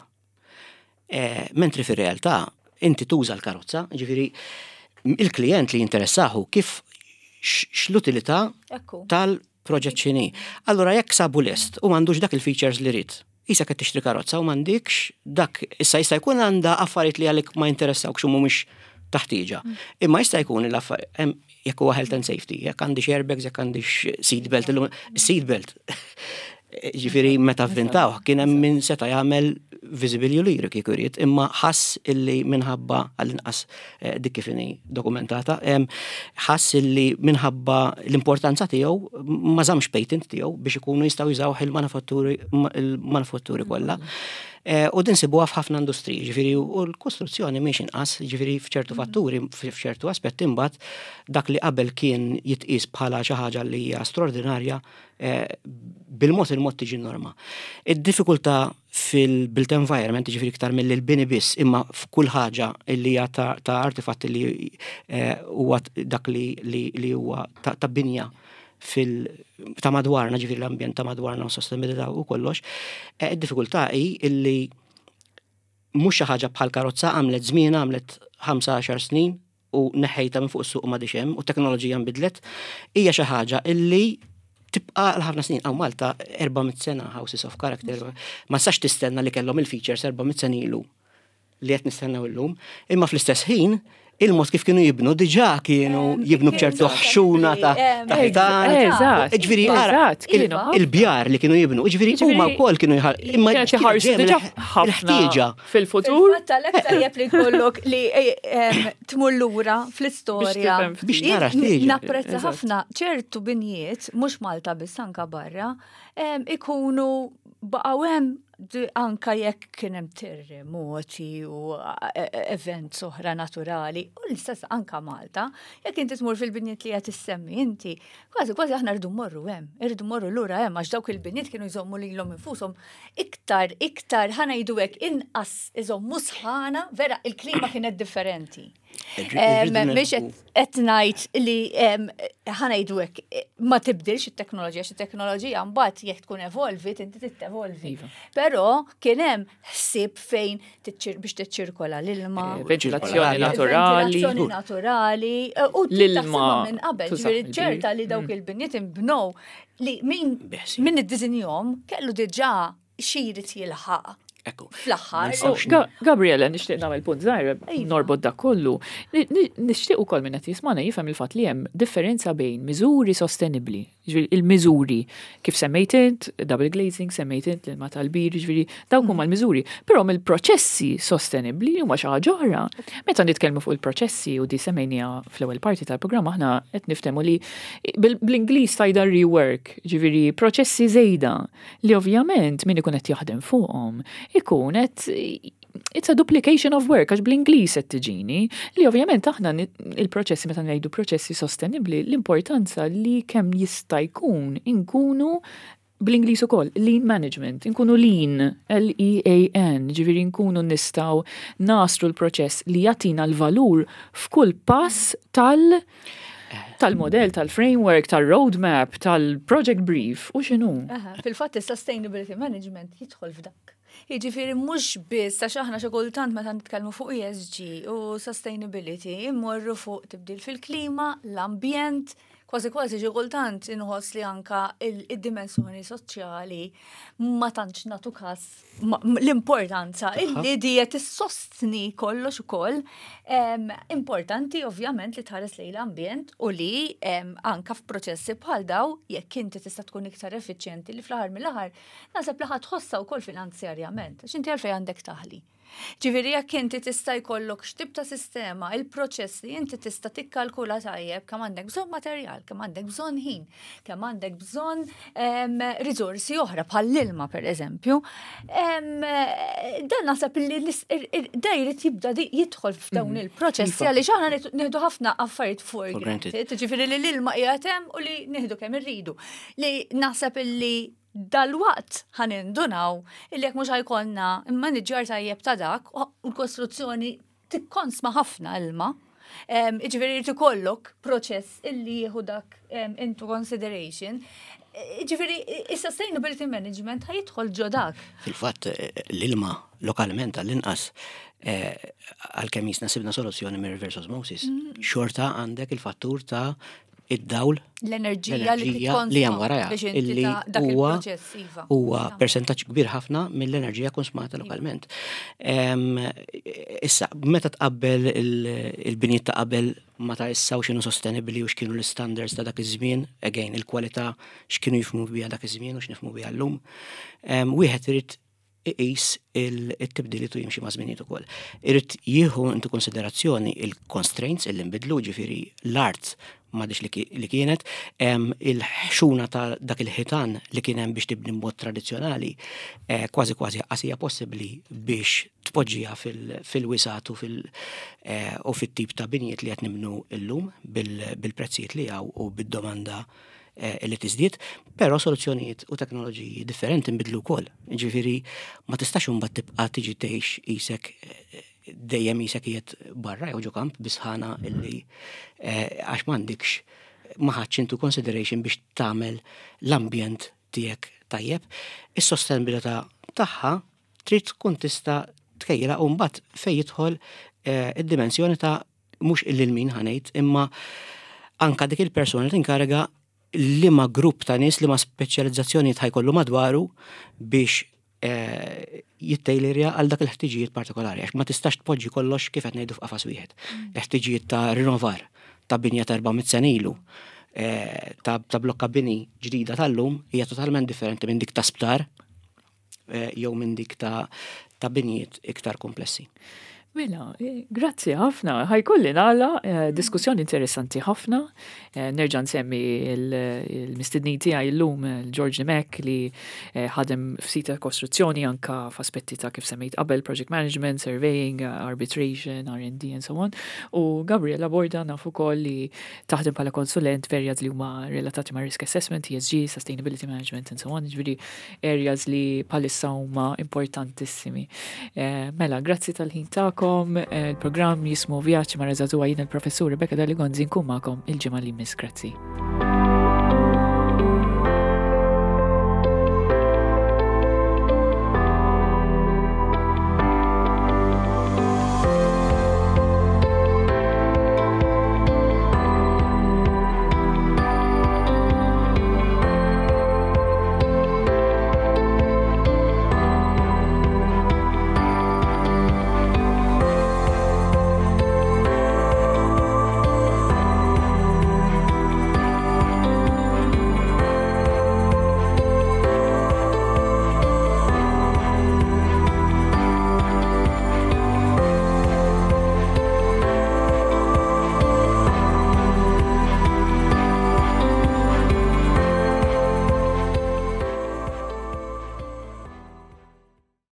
Eh, Mentri fir-realtà inti tuża l-karozza, ġifieri il-klient li jinteressahu kif x- x'l-utilità Ekku. tal-proġett x'inhi. Allura jekk sabu lest u m'għandux dak il-features li rid, issa qed tixtri karozza u m'għandikx dak, issa jista' jkun għandha affarijiet li għalik ma jinteressawkx u mhumiex taħtieġa. Imma jista' jkun l-affarijiet Jekk huwa health and safety, jekk għandix airbags, jekk għandix seatbelt, illum seatbelt. Ġifieri meta vvintaw, kien hemm min seta' jagħmel visible juliru kieku jrid, imma ħass illi minħabba, għall-inqas eh, dik kif inhi dokumentata, em, ħass illi minħabba l-importanza tiegħu ma żammx patent tiegħu biex ikunu jistgħu jużaw il-manifatturi il-manifatturi kollha. Eh, U din sibuha f'ħafna industriji, ġifieri u l-kostruzzjoni mhix inqas, ġifieri f'ċertu fatturi, f'ċertu aspetti imbagħad dak li qabel kien jitqis bħala xi ħaġa li hija straordinarja eh, bil-mod il-mod tiġi norma. Id-diffikultà fil-built environment, ġifieri iktar mill bini biss, imma f'kull ħaġa li hija ta' ta' artifatti li eh, huwa dak li li li huwa ta' ta' binja fil ta' madwarna, ġifieri l-ambjent ta' madwarna u sostenibilità u kollox, eh, id-diffikultà hi illi mhux xi ħaġa bħal karozza għamlet żmien, għamlet ħamsa għaxar snin u neħħejta minn fuq is-suq u m'għadix hemm u teknoloġija nbidlet, hija xi ħaġa illi tibqa' għal ħafna snin. Hawn Malta erba' mitt sena houses of character, ma sax tistenna li kellhom il-features erba' mitt sena ilu li qed nistennew illum, imma fl-istess ħin il-mod kif kienu jibnu diġà kienu jibnu bċertu ħxuna ta' ta' ħitan. Eżatt, Ġifieri, ara, eżatt, kienu ħafna. Il-bjar li kienu jibnu, ġifieri huma wkoll kienu jħal. Imma Kienet iħarsu diġà ħafna il-ħtieġa. fil-futur. Fil-fatt għalhekk tajjeb li jkollok li eh, em, tmur lura fl-istorja. Biex tifhem Biex tara Jien ħtieġa. Napprezza Eżatt. ħafna ċertu binjiet, mhux Malta biss, anka barra, em, ikunu baqgħu hemm di- anka jekk kien hemm terremoti u eh, eh, events oħra naturali, u l-istess anka Malta, jekk inti tmur fil-binjiet li qed issemmi inti, kważi kważi aħna rridu mmorru hemm, irridu mmorru lura hemm għax dawk il-binjiet kienu jżommu lilhom infushom iktar, iktar, ħa ngħidu hekk, inqas iżommu sħana, vera il-klima kienet differenti. Em, Mhix qed ngħid li em, ħa ngħidu hekk ma tibdilx it-teknoloġija, xi teknoloġija mbagħad jekk tkun evolvit inti tittevolvi. Iva. Però kien hemm ħsieb fejn tiċċir- biex tiċċirkola l-ilma. Eh, Ventilazzjoni naturali. Ventilazzjoni naturali. eh, U L-ilma taħsibha minn qabel, tuża ġifieri fil-bir. ċerta li dawk il-binjiet inbnew li min Biħsib. min iddisinjahom kellu diġà xi jrid jilħaq Ekku. fl-aħħar. Ma nistgħux Ga- Gabriela, nixtieq nagħmel punt żgħir, Iva. norbot dak kollu. Ni- ni- Nixtieq ukoll minn qed jismana jifhem il-fatt li hemm differenza bejn miżuri sostenibbli, ġifieri il-miżuri kif semmejt int, double glazing, semmejt int l-ilma tal-bir, ġifieri dawk huma l-miżuri. Però mill-proċessi sostenibbli huma xi ħaġa oħra. Meta nitkellmu fuq il-proċessi u di semmejnija fl-ewwel parti tal-programm, aħna qed niftehmu li bil- bl-Ingliż tajda rework, ġifieri proċessi żejda li ovvjament min ikun qed jaħdem fuqhom ikun qed it's a duplication of work, għax bl-Ingliż qed tiġini li ovvjament aħna ni- il-proċessi, meta ngħidu proċessi sostenibbli, l-importanza li kemm jista' jkun inkunu, bl-Ingliż ukoll, lean management, inkunu lean, L E A N, ġifieri nkunu nistgħu nasru l-proċess li jagħtina l-valur f'kull pass tal- tal-modell, tal-framework, tal-roadmap, tal-project brief, u x'inhu. Aha, fil-fatt is-sustainability management jidħol f'dak. Jiġifieri mhux biss għax aħna xi kultant meta nitkellmu fuq E S G u sustainability immorru fuq tibdil fil-klima, l-ambjent, kważi kważi xi kultant inħoss li anka il- id-dimensjoni soċjali ma tantx nagħtu każ ma- l-importanza illi di qed issostni kollox ukoll. Em, Importanti ovvjament li tħares lejn l-ambjent u li em, anka f'proċessi bħal daw jekk inti tista' tkun iktar effiċjenti li fl-aħħar mill-aħħar naħseb li ħa tħossha wkoll finanzjarjament, għax inti għalfejn għandek taħli? Ġifieri jekk inti tista' jkollok x'tip ta' sistema, il-proċess li inti tista' tikkalkula tajjeb kemm għandek bżonn materjal, kemm għandek bżonn ħin, kemm għandek bżonn em, riżorsi oħra bħall-ilma pereżempju. Em, Dan naħseb li l- ir- ir- da jrid jibda di- jidħol f'dawn il-proċessi Iva. għaliex aħna nieħdu- nieħdu ħafna affarijiet for For granted. granted. Ġifieri li l-ilma qiegħed hemm u li nieħdu kemm irridu. Li naħseb illi dal-waqt ħa nindunaw illi jekk mhux ħa jkollna immaniġġjar tajjeb ta' dak u l-kostruzzjoni tikkonsma ħafna ilma. Em, Ġifieri jrid ikollok proċess illi jieħu dak em, into consideration. Ġifieri is-sustainability management ħa jidħol ġo dak. Fil-fatt eh, l-ilma lokalment għall-inqas, eh, għalkemm jisna sibna soluzzjoni mir reverse osmosis, xorta għandek il-fattur ta' Id-dawl, l-enerġija li li hemm warajha illi huwa iva. Huwa persentaġġ kbir ħafna mill-enerġija konsumata iva. Lokalment. Issa, meta tqabbel il-binijiet ta' qabel ma ta' issa u x'inhu sostenibbli u x'kienu l-standards ta' dak iż-żmien, again, il-kwalità x'kienu jifhmu biha dak iż-żmien u x'nifhmu biha llum. Wieħed irid iqis il-tibdiliet u jimxi ma' żminijiet ukoll. Irid jieħu into konsiderazzjoni il-constraints illi nbidlu, ġifieri l-art m'għadhiex li kienet, il-ħxuna ta' dak il-ħitan li kien hemm biex tibni mod tradizzjonali, eh, kważi kważi qas hija possibbli biex tpoġġiha fil-wisgħat u eh, fit-tip ta' binjiet li qed nibnu llum bil-prezzijiet li hawn u bid-domanda eh, li tiżdied, però soluzzjonijiet u teknoloġiji differenti nbidlu wkoll. Ġifieri ma tistax imbagħad tibqa' tiġi tgħix isek dejjem isek qiegħed barra jew ġo kamp bisħana illi eh, għax m'għandikx ma ħadx into consideration biex tagħmel l-ambjent tiegħek tajjeb. Is-sostenibilità tagħha trid tkun tista' tkejjilha u mbagħad fejn jidħol eh, id-dimensjoni ta' mhux lil min ħa ngħid, imma anka dik il-persuna tinkariga li ma grupp ta' nies li ma speċjalizzazzjoni ħa jkollu madwaru biex eh, jittejlerja għal dak il-ħtiġijiet partikolari, għax ma tistax tpoġġi kollox, kif qed ngħidu, f'qafas wieħed. Mm. Il-ħtiġijiet ta' rinnovar ta' binja ta' erba' mitt sena ilu, eh, ta' blokka bini ġdida tal-lum hija totalment differenti minn dik ta' sptar eh, jew minn dik ta' ta' binjiet iktar komplessi. Mela, eh, grazzi ħafna. Ħa jkolli nagħlaq, eh, diskussjoni interessanti ħafna. Eh, nerġa' nsemmi il-mistednin tiegħi llum, George Mek, li ħadem f'sita kostruzzjoni anka f'aspetti ta' kif semmejt qabel, project management, surveying, arbitration, R and D and so on. U Gabriela Borda nafu ukoll li taħdem bħala konsulent f'areas li huma relatati ma' risk assessment, E S G, sustainability management and so on, ġifieri areas li bħalissa huma importantissimi. Mela, grazzi tal-ħin tagħkom magħkom, eh, il-programm jismu Vjaġġ ma' Żagħżugħa, jien il-professur Rebecca Dalli Gonzi, nkun magħkom il-ġimgħa li jmiss. Grazzi.